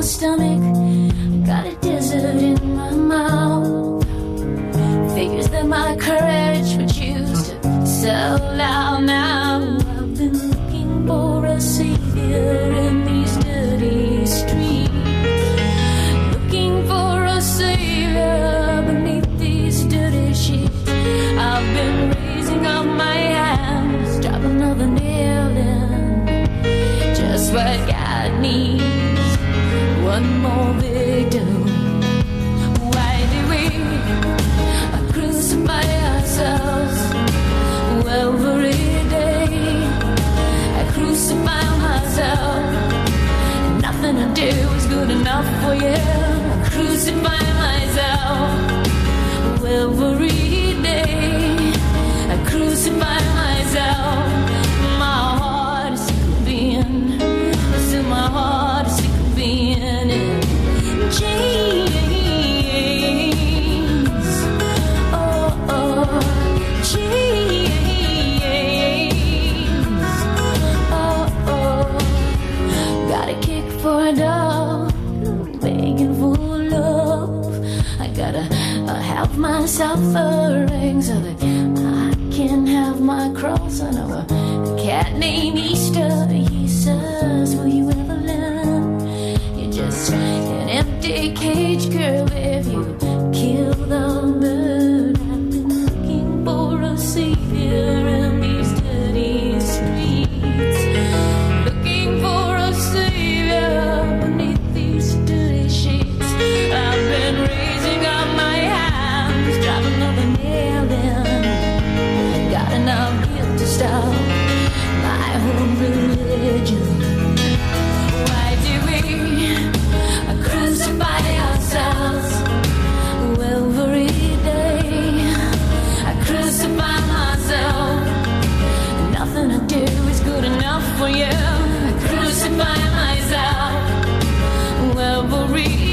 Stomach, got a desert in my mouth. Figures that my courage would choose to sell out now. I've been looking for a savior in these dirty streets, looking for a savior beneath these dirty sheets. I've been raising up my hands, drop another nail in, just what God needs. One more victim. Why do we crucify ourselves every day? I crucify myself. Nothing to do is good enough for you. I crucify myself every day. I crucify myself. My heart is sick of being. Still my heart is sick of being in chains. give myself a ring so that I can have my cross. I know a cat named Easter. He says, will you ever learn? You're just an empty cage, girl, if you kill the bird. I've been looking for a savior in these dirty streets, looking for a savior beneath these dirty sheets. I've been raising up my hands, driving another nail in. Got enough guilt to stop my whole religion. Why do we crucify ourselves every day? I crucify myself. Nothing I do is good enough for you. I crucify myself every